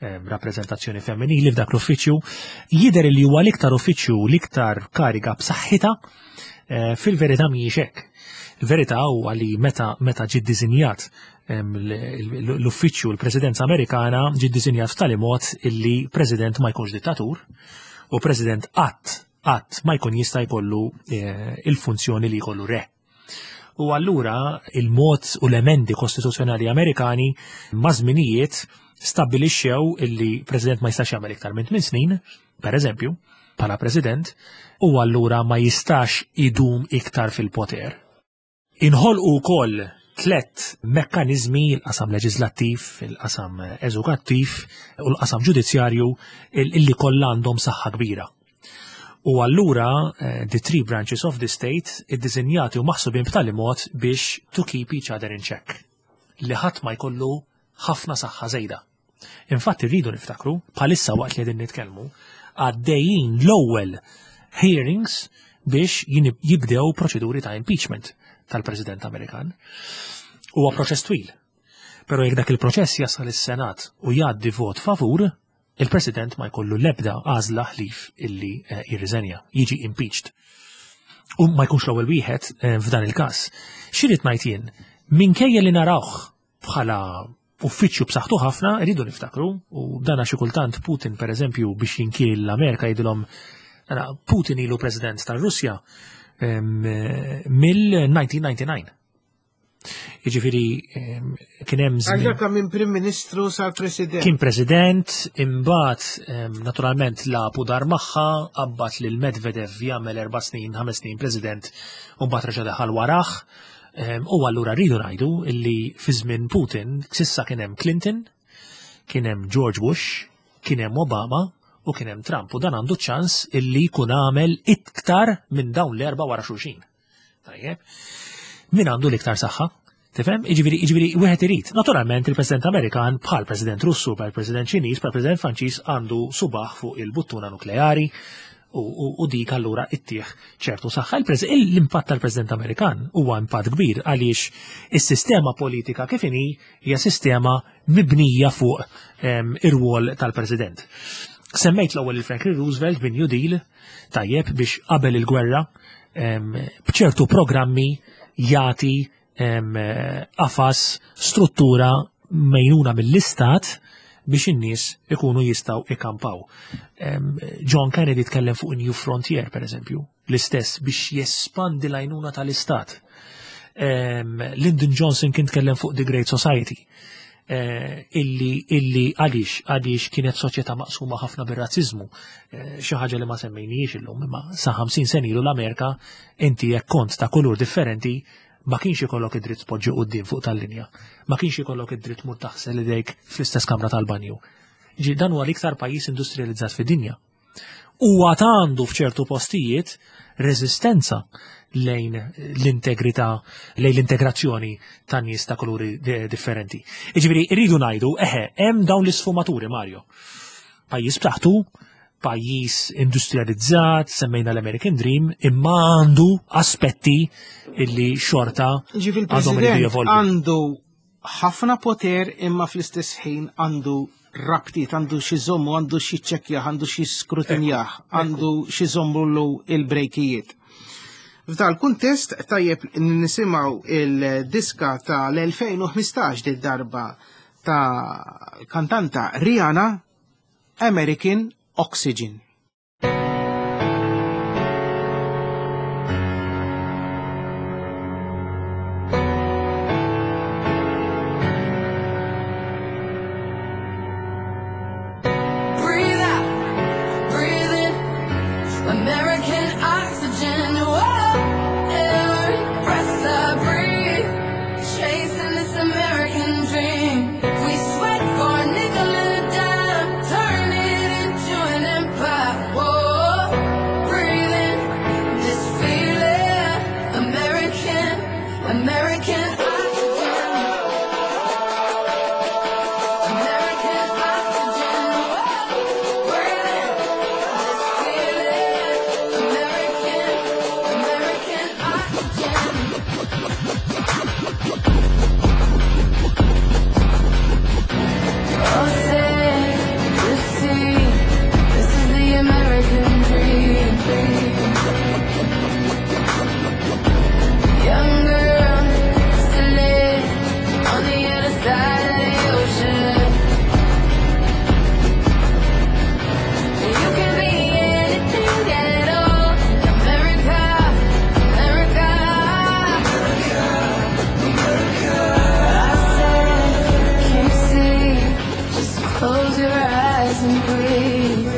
em, rappreżentazzjoni femminili f'dak l-uffiċċju, jidher li huwa l-iktar uffiċċju, l-iktar kariga b'saħħitha, eh, fil-verità mhijiex hekk. Il-verità huwa li meta meta ġie ddisinjat em, l- l- l-uffiċċju l-Presidenza Amerikana, ġie ddisinjat f'tali mod illi President ma jkunx dittatur u President qatt qatt ma jkun jista' jkollu eh, il-funzjoni li jkollu re. U allura il-mod u l-emendi kostituzzjonali Amerikani ma' żminijiet stabbilixxew illi President ma jistax jagħmel iktar minn tmien snin, per eżempju, bħala President, u allura ma jistax idum iktar fil-poter. Inħolqu wkoll tlet mekkanizmi: il-qasam leġislattiv, il-qasam eżekuttiv u l-qasam ġudizzjarju, illi kollha għandhom saħħa kbira. U allura eh, the three branches of the state iddisinjati u maħsubin b'tali mod biex to keep each other in check. Li ħadd ma jkollu ħafna saħħa żejda. Infatti rridu niftakru, bħalissa waqt li qegħdin nitkellmu, għaddejjin l-ewwel hearings biex jibdew proċeduri ta' impeachment tal-President Amerikan. Huwa proċess twil. Però jekk dak il-proċess jasal is-Senat u jgħaddi vot favur, il-President ma jkollu l-ebda għażla ħlief illi eh, jirriżenja, jiġi impeached. U ma jkunx l-ewwel wieħed eh, f'dan il-każ. X'irid ngħid jien, minkejja li narawh bħala uffiċċju b'saħħtu ħafna, rridu niftakru, u dana xi kultant Putin, per eżempju, biex jinkiel l-Amerika jgħidilhom, Putin ilu President tar-Russja mill-elf disa' mija u disgħa u disgħin. Jiġifieri kien hemm żmien. Għal minn Prim Ministru sar President. Kien President, imbagħad naturalment la pudar magħha, qabbat lil Medvedev jagħmel erba' snin, ħames snin President, u mbagħad reġa' daħal warah. U allura rridu ngħidu illi fi żmien Putin s'issa kien hemm Clinton, kien hemm George Bush, kien hemm Obama u kien hemm Trump, u dan għandu ċans illi jkun għamel iktar minn dawn l-erba' wara xulxin. Tajjeb. Min għandu l-iktar saħħa? Tifhem? Jiġifieri, jiġifieri wieħed irid. Naturalment il-President Amerikan bħal President Russu, bħal President Ċiniż, bħal President Franċiż għandu subaħ fuq il-buttuna nukleari u, u, u dik allura ittieħ ċertu saħħa. L-impatt tal-President Amerikan huwa impatt kbir għaliex is-sistema politika kif inhi hija sistema mibnija fuq ir-rwol tal-President. Semmejt l-ewwel il-Franklin Roosevelt bin New Deal, tajjeb, biex qabel il-gwerra b'ċertu programmi jagħti qafas, struttura mejnuna mill-istat biex in-nies ikunu jistgħu ikampaw. John Kennedy tkellem fuq New Frontier, per eżempju, l-istess biex jespandi l-għajnuna tal-istat. Lyndon Johnson kien tkellem fuq The Great Society. Illi illi għaliex għaliex kienet soċjetà maqsuma ħafna bir-razziżmu, xi ħaġa li ma semmejniex illum, imma sa ħamsin sena ilu l-Amerika inti jekk kont ta' kulur differenti ma kienx ikollok id-dritt tpoġġi quddiem fuq tal-linja, ma kienx ikollok id-dritt mur taħsel idejk fl-istess kamra tal-banju. Ġi dan huwa l-iktar pajjiż industrializzat fid-dinja. Huwa għandu f'ċertu postijiet reżistenza lejn l-integrità, lejn l-integrazzjoni ta' nies ta' kuluri differenti. Jiġifieri rridu ngħidu, eħe, hemm dawn l-isfumaturi, Mario. Pajjiż b'saħħtu, pajjiż industrializzat, semmejna l-American Dream, imma għandu aspetti illi xorta għandhom iridu jevolvu. Għandu ħafna poter imma fl-istess ħin għandu rabtiet, għandu xi żommu, għandu xi ċekkjaħ, għandu xi skrutinjaħ, għandu xi żommu il-brejkijiet. F'dal kuntest tajjeb nisimgħu il-diska tal-elfejn u ħmistax dil darba ta' kantanta Rihanna, American Oxygen. Breathe out, breathe in, American oxygen. Whoa, every breath I breathe, chasing this American dream. We sweat for a nickel and a dime, turn it into an empire. Whoa, breathe in this feeling, American, American oxygen. American oxygen. Whoa, breathe in this feeling, American, American oxygen. Oh, say you see, this is the American dream. Young girl, still on the other side of the ocean. You can be anything at all. America, America. I said, can't you see? Just close your eyes and breathe.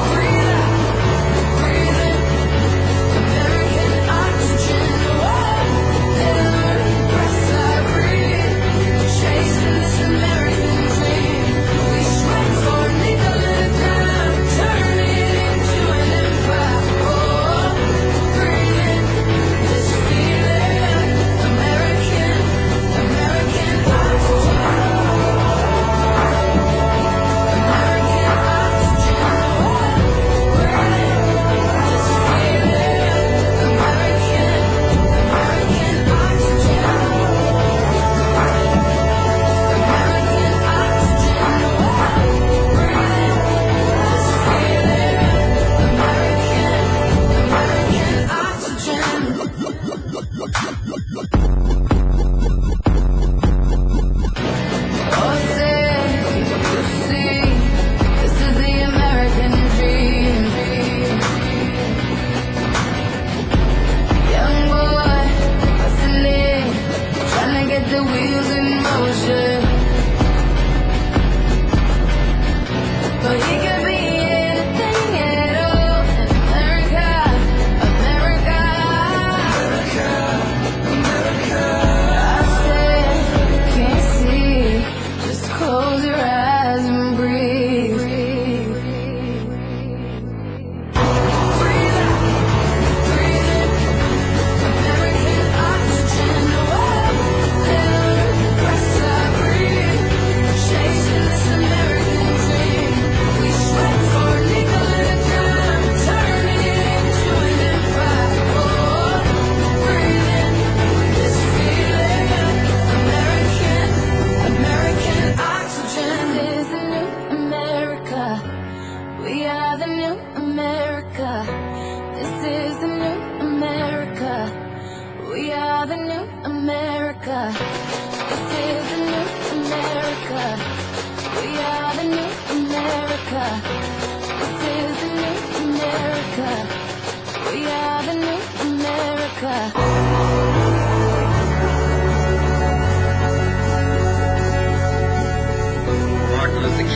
Breathe out, breathe in, American oxygen. Whoa, every breath I breathe, chasing this American dream. We sweat for a nickel and a dime, turn it into an empire. Whoa, breathe in this feeling, American, American oxygen.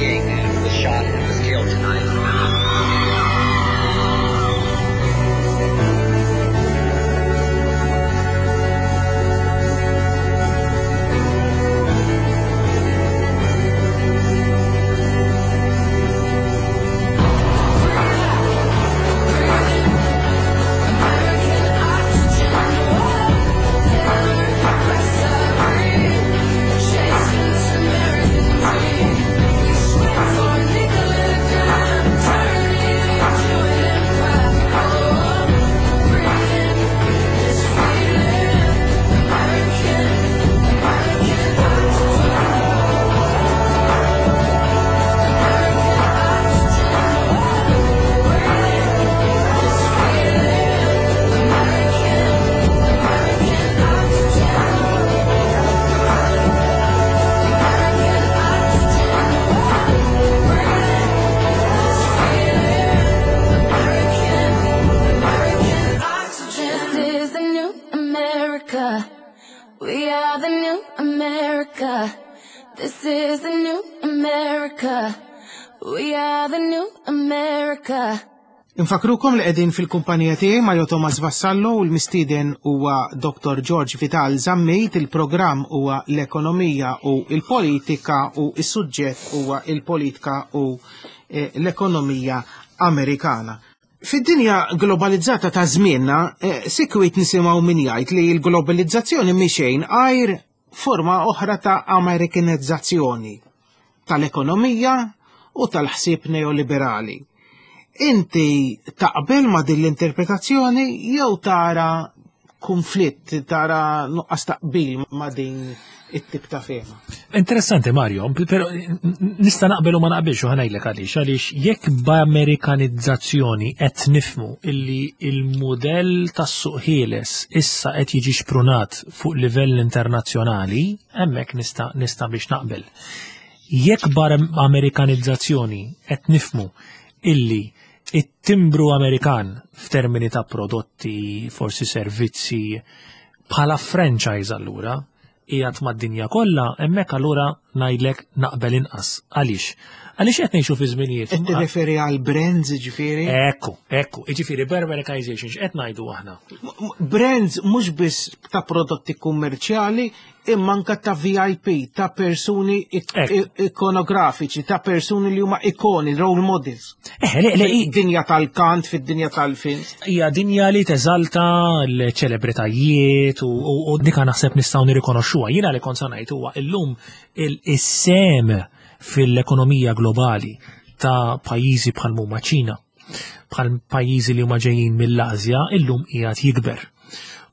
King was shot and was killed tonight. This is the new America. We are the new America. This is the new America. We are the new America. Infakrukom li qegħdin fil-kumpanija tiegħi Mario Thomas Vassallo u l-mistieden huwa Dottor George Vital Zammit, il-programm huwa l-ekonomija u l-politika u s-suġġett huwa il-politika u eh, l-ekonomija Amerikana. Fid-dinja globalizzata ta' żmienna, eh, sikwit nisimgħu min jgħid li l-globalizzazzjoni mhi xejn għajr forma oħra ta' Amerikanizzazzjoni tal-ekonomija u tal-ħsieb neoliberali. Inti taqbel ma' din l-interpretazzjoni jew tara konflitt, tara nuqqas taqbil ma' din it-tip ta' fehma? Interessanti, Mario, pero nista' naqbel u ma naqbilx u ħa ngħidlek għaliex, għaliex jekk b'Amerikanizzazzjoni qed nifhmu illi il-mudell tas-suq ħieles issa qed jiġi xprunat fuq livell internazzjonali, hemmhekk nista' nista' biex naqbel. Jekk b'Amerikanizzazzjoni qed nifhmu illi it-timbru Amerikan f'termini ta' prodotti, forsi servizzi, bħala franchise allura, qiegħed mad-dinja kollha, hemmhekk allura ngħidlek naqbel inqas. Għaliex? Għaliex qed ngħixu fi żminijiet. Qed tirreferi għal brands, ġifieri? Ekku, ekku, jiġifieri b'Americanization x'qed ngħidu aħna? Brands mhux biss ta' prodotti kummerċjali, imma anke ta' V I P, ta' persuni ik- Ekku. ikonografiċi, ta' persuni li huma ikoni, role models. Eh, le, le, i- Fid-dinja tal-kant, fid-dinja tal-film. Hija dinja li teżalta l-ċelebritajiet u, u, u dika naħseb nistgħu nirrikonoxxuha. Jiena li kont sa ngħid huwa illum il-sehem fil-ekonomija globali ta' pajjiżi bħal huma Ċina, bħal pajjiżi li huma ġejjin mill-Asja, illum qiegħed jikber.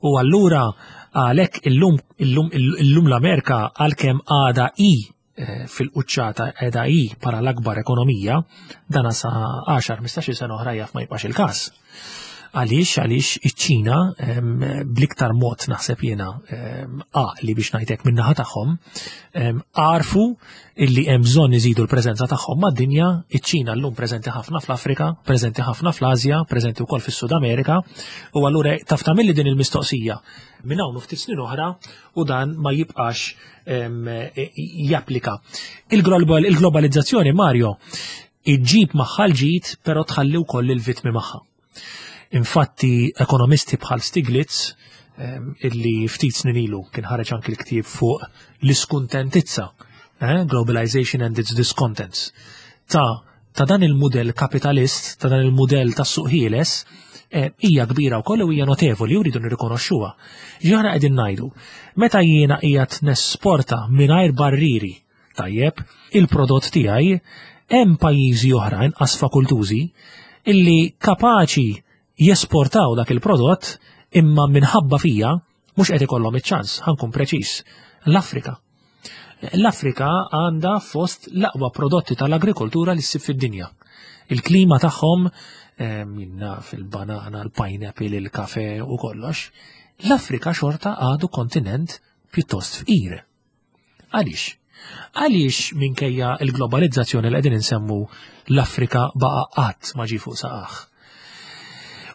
U allura għalhekk illum illum illum l-Amerika, għalkemm għada i eh, fil-quċċata, qiegħda i para l-akbar ekonomija, dana sa għaxar ħmistax-il sena oħra jaf ma jibqax il-każ. Għaliex, għaliex iċ-Ċina em, bl-iktar mod naħseb jiena em, għaqli biex ngħidlek min-naħa tagħhom, em, għarfu illi hemm bżonn iżidu l-preżenza tagħhom mad-dinja. Iċ-Ċina llum preżenti ħafna fl-Afrika, preżenti ħafna fl-Asja, preżenti wkoll fis-Sud Amerika, u allura taf tagħmilli din il-mistoqsija minn hawn u ftit snin oħra u dan ma jibqax em, e- japplika. Il-global- Il-globalizzazzjoni, Mario, iġġib magħha l-ġid, però tħalli wkoll il-vittmi magħha. Infatti, ekonomisti bħal Stiglitz, em, illi ftit snin ilu kien ħareġ anki l-ktieb fuq l-iskuntentizza, eh, Globalization and its Discontents, ta' ta' dan il-mudell kapitalist, ta' dan il-mudell tas suq ħieles, eh, hija kbira wkoll u hija notevoli u rridu nirrikonoxxuha. Ġaħna qegħdin ngħidu, meta jiena qiegħed nesporta mingħajr barriri, tajjeb, il-prodott tiegħi, hemm pajjiżi oħra inqas fakultużi illi kapaċi jesportaw dak il-prodott imma minħabba fija mhux qed ikollhom iċ-ċans, ħa nkun preċiż. L-Afrika. L-Afrika għandha fost l-aqwa prodotti tal-agrikoltura li ssib fid-dinja. Il-klima tagħhom eh, minna fil-banana, l-pineapple, il-kafe u kollox. L-Afrika xorta għadu kontinent pjuttost fqir. Għaliex? Għaliex minkejja il-globalizzazzjoni li qegħdin insemmu l-Afrika baqa' qatt ma ġie fuq saqajh?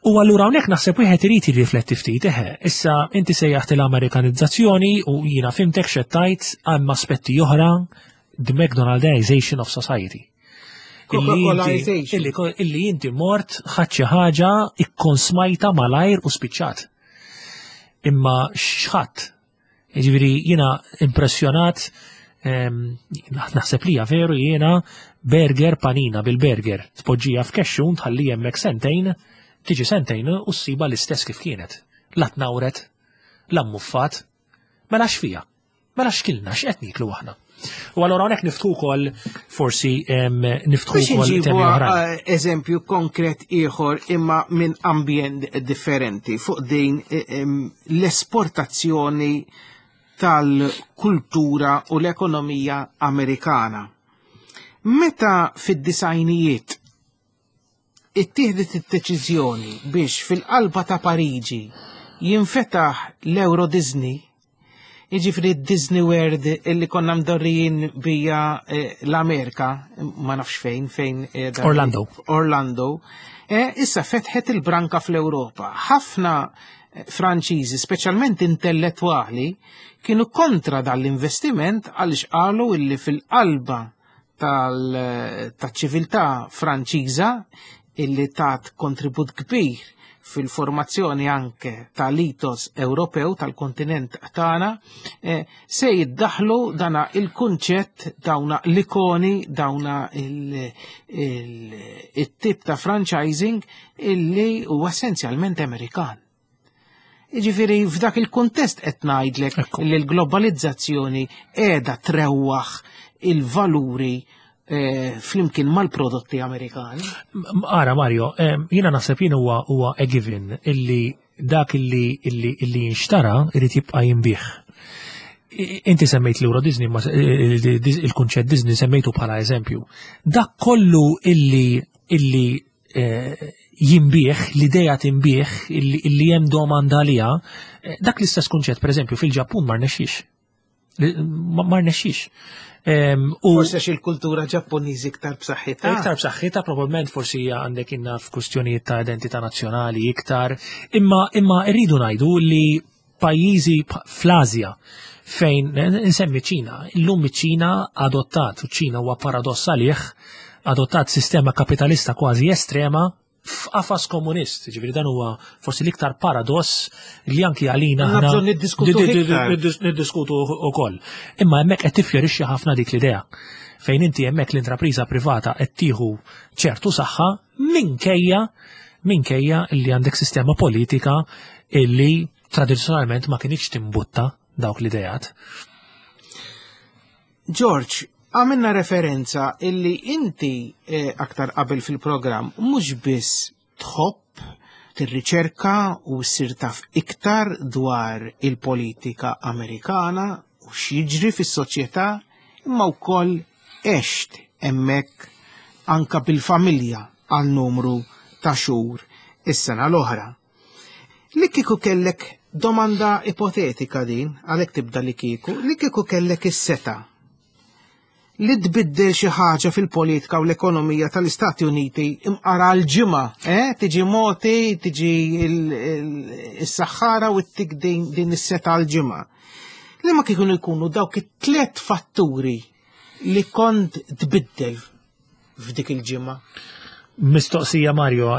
U allura hawnhekk naħseb wieħed irid jirrifletti ftit, eħe, issa inti sejjaħt l-Amerikanizzazzjoni u jiena fhimtek x'qed tgħid, hemm aspetti oħra the McDonaldization of society. Illi inti- Coca-Colization. Illi, illi inti mort ħadt xi ħaġa ikkonsmajta malajr u spiċċat. Imma x'ħadd. Jiġifieri jiena impressjonat, em, naħseb li hija veru, jiena burger, panina bil-burger. Tpoġġija f'kexxun, tħalli hemmhekk sentejn, tiġi sentejn u ssiba l-istess kif kienet. La tnawret, la mmuffat, mela x'fija? Mela x'kilna, x'qed niklu aħna? U allura hawnhekk niftħu wkoll forsi em, niftħu Biex wkoll nġibu temi oħrajn. eh, eżempju konkret ieħor imma minn ambjent differenti fuq din eh, em, l-esportazzjoni tal-kultura u l-ekonomija Amerikana. Meta fid-disgħinijiet ittieħdet id-deċiżjoni biex fil-qalba ta' Pariġi jinfetaħ l-Euro Disney, jiġifieri Disney World illi konna mdorrijin bija eh, l-Amerika, ma nafx fejn, fejn eh, dan- Orlando. Orlando, eh, issa fetħet il-branka fl-Europa. Ħafna eh, Franċiżi, speċjalment intellettwali, kienu kontra dal-investiment għaliex qalu illi fil-qalba tal-ċiviltà Franċiża, illi tat kontribut kbir fil-formazzjoni anke tal-ethos Ewropew tal-kontinent tagħna, eh, se jiddaħlu dana il-kunċett, dawna l-ikoni, dawna il- il- il-tip ta' franchising illi huwa essenzjalment Amerikan. Jiġifieri f'dak il-kuntest qed ngħidlek Ekku. li l-globalizzazzjoni qiegħda trewwaħ il-valuri eh, flimkien mal-prodotti Amerikani. M- Ara Mario, em, jiena naħseb jien huwa huwa a given illi dak illi illi illi jinxtara irid jibqa' jinbih. I- Inti semmejt l-Euro Disney, ma se- il- il- il-kunċett Disney semmejtu bħala eżempju. Dak kollu illi illi eh, jinbih, l-ideja tinbih, illi illi hemm domanda għaliha, eh, dak l-istess kunċett, per eżempju, fil-Ġappun ma rnexxix. Li- Ma ma rnexxix. Em, u- Forse xi l-kultura Ġappuniżi iktar b'saħħitha. Iktar b'saħħitha, probabbilment forsi hija għandek inna f'kwistjonijiet ta' identità nazzjonali iktar, imma imma rridu ngħidu li pajjiżi p- fl-Asja fejn insemmi Ċina, illum iċ-Ċina adottat, u ċina huwa paradoss għalih, adottat sistema kapitalista kważi estrema f'qafas komunist, ġifieri dan huwa forsi l-iktar paradoss li anki għalina Għandna aħna bżonn niddiskutuh di- di- di- iktar. niddis- niddiskutu ukoll. Imma hemmhekk qed tiffjorixxi ħafna dik l-idea fejn inti hemmhekk l-intrapriża privata qed tieħu ċertu saħħa minkejja minkejja li għandek sistema politika illi tradizzjonalment ma kienx timbutta dawk l-idejat. George, għamilna referenza illi inti eh, aktar qabel fil-programm mhux biss tħobb tirriċerka u ssir taf iktar dwar il-politika Amerikana u x'jiġri fis-soċjetà, imma wkoll għext hemmhekk anka bil-familja għal numru ta' xhur is-sena l-oħra. Li kieku kellek domanda ipotetika din, għalhekk tibda li kieku, li kieku kellek is-seta li tbiddel xi ħaġa fil-politika u l-ekonomija tal-Istati Uniti imqara l-ġimgħa, eh? Tiġi moti, tiġi il-saħħara u ttik din, din is-seta l-ġimgħa. Li ma kieku jkunu dawk it-tliet fatturi li kont tbiddel f'dik il-ġimgħa? Mistoqsija, Mario.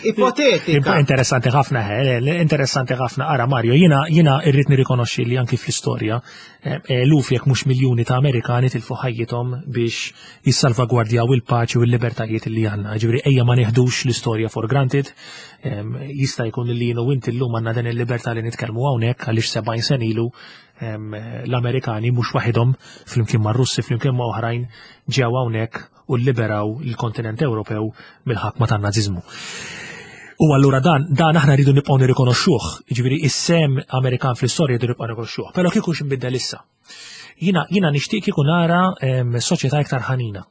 Ipotetika. Interessanti ħafna, eh, interessanti ħafna. Ara Mario, jiena jiena irrid nirrikonoxxi li anki fl-istorja eh, eluf jekk mhux miljuni ta' Amerikani tilfu ħajjithom biex jissalvagwardjaw il-paċi u l-libertajiet li għandna. Ġifieri ejja ma nieħdux l-istorja for granted. Em, Jista' jkun li jiena u inti llum għandna din il-libertà li nitkellmu hawnhekk għaliex sebgħin sena ilu em, l-Amerikani mhux waħedhom, flimkien mar-Russi, flimkien ma' oħrajn, ġew hawnhekk u liberaw il-kontinent Ewropew mill-ħakma tan-naziżmu. U allura dan, dan aħna rridu nibqgħu nirrikonoxxuh, jiġifieri is-sehem Amerikan fl-istorja rridu nibqgħu nirrikonoxxuh. Però kieku x'inbiddel issa? Jiena jiena nixtieq kieku nara em, soċjetà iktar ħanina.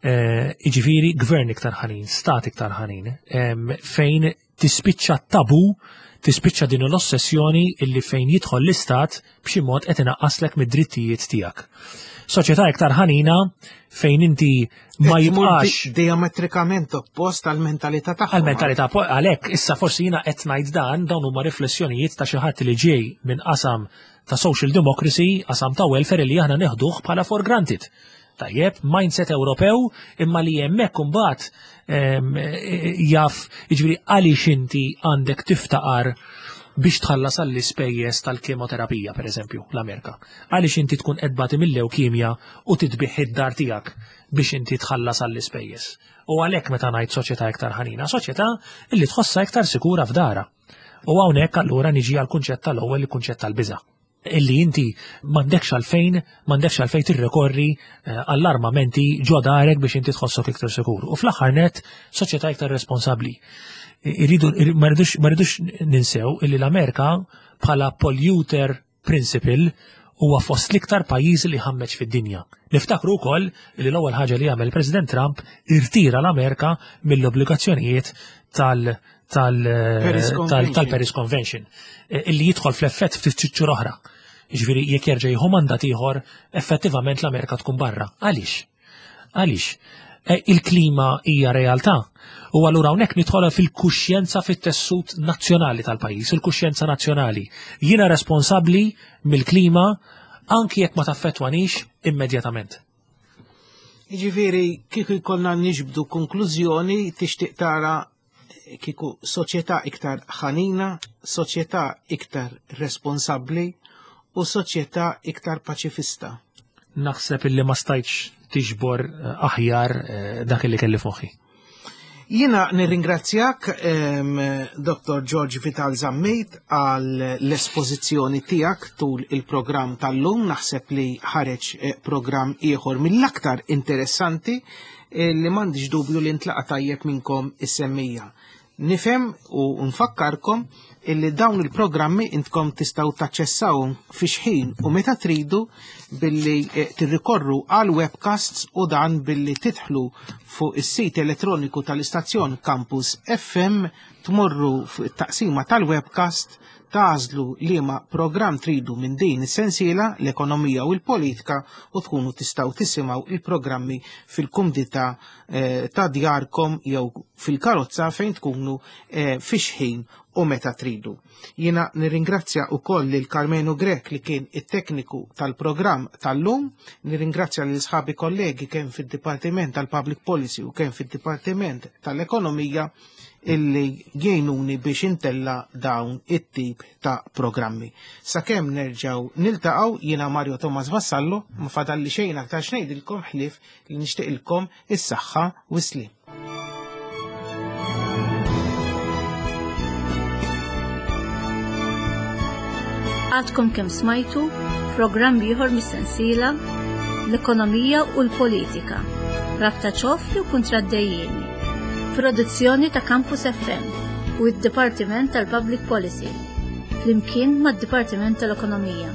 Eh, Jiġifieri gvern iktar ħanin, stat iktar ħanin, em, fejn tispiċċa tabu, tispiċċa din l-ossessjoni illi fejn jidħol l-istat b'xi mod qed inaqqaslek mid-drittijiet tiegħek. Soċjetà iktar ħanina fejn inti ma Qed tmur jibqax di- diametrikament oppost għal-mentalità tagħhom. Għal-mentalità, po- għalhekk issa forsi jiena qed ngħid dan, dawn huma riflessjonijiet ta' xi ħadd li ġej minn qasam ta' social democracy, qasam ta' welfare li aħna neħduh bħala for granted. Tajjeb, mindset Ewropew imma li hemmhekk imbagħad em, jaf, jiġifieri għaliex inti għandek tiftaqar biex tħallas għall-ispejjeż tal-kemoterapija, per eżempju, l-Amerika. Għaliex inti tkun qed tbati mill-lewkimja u titbigħ id-dar tiegħek biex inti tħallas għall-ispejjeż. U għalhekk meta ngħid soċjetà iktar ħanina, soċjetà illi tħossha iktar sikura f'darha. U hawnhekk allura niġi għal kunċett tal-ewwel, il-kunċett tal-biża'. Illi inti m'għandekx għalfejn, m'għandekx għalfejn tirrekorri eh, għall-armamenti ġo darek biex inti tħossok iktar sikur. U fl-aħħar net, soċjetà iktar responsabbli. Irridu, ma rridux ma rridux ninsew illi l-Amerika bħala polluter principle huwa fost l-iktar pajjiżi li ħammeġ fid-dinja. Niftakru wkoll li l-ewwel ħaġa li għamel President Trump, irtira l-Amerika mill-obbligazzjonijiet tal tal Paris tal Convention. Tal-Paris Convention eh, illi jidħol fl-effett ftit xhur oħra. Jiġifieri jekk jerġa' jieħu mandat ieħor, effettivament l-Amerika tkun barra. Għaliex? Għaliex? Eh, Il-klima hija realtà. U allura hawnhekk nidħol fil-kuxjenza, fit-tessut nazzjonali tal-pajjiż, il-kuxjenza nazzjonali. Jiena responsabbli mill-klima anki jekk ma taffettwanix immedjatament. Jiġifieri kieku jkollna niġbdu konklużjoni, tixtieq tara kieku soċjetà iktar ħanina, soċjetà iktar responsabbli u soċjetà iktar paċifista. Naħseb illi ma stajtx tiġbor eh, aħjar eh, dak li kelli f'moħħi. Jiena nirringrazzjak, em, Doktor George Vital Zammit, għal l-espożizzjoni tiegħek tul il-programm tal-lum. Naħseb li ħareġ eh, programm ieħor mill-aktar interessanti eh, li m'għandix dubju li ntlaqa tajjeb minnkom is-semmiegħa. Nifhem u nfakkarkom illi dawn il-programmi intkom tistgħu taċċessawhom fi xħin u meta tridu billi eh, tirrikorru għal webcasts, u dan billi tidħlu fuq is-sit elettroniku tal-istazzjon Campus F M, tmorru fuq it-taqsima tal-webcast, tagħżlu liema programm tridu minn din is-sensiela, l-ekonomija u l-politika, u tkunu tistgħu tisimgħu il-programmi fil-kumdità eh, ta' djarkom jew fil-karozza fejn tkunu eh, fi xħin u meta tridu. Jiena nirringrazzja ukoll lil Carmenu Grek li kien it-tekniku tal-programm tal-lum, nirringrazzja lil sħabi kollegi kemm fid-Dipartiment tal-Public Policy u kemm fid-Dipartiment tal-Ekonomija illi jgħinuni biex intella dawn it-tip ta' programmi. Sakemm nerġaw niltaqgħu, jiena Mario Thomas Vassallo, ma fadalli xejn aktar x'ngħidilkom ħlief li nixtieqilkom is-saħħa u s-slim. Għadkom kemm smajtu programm ieħor mis-sensiela L-Ekonomija u l-Politika. Rabta ċoff jew kontraddejjeni. Produzzjoni ta' Campus F M u d-Dipartiment tal-Public Policy. Flimkien mad-Dipartiment tal-Ekonomija.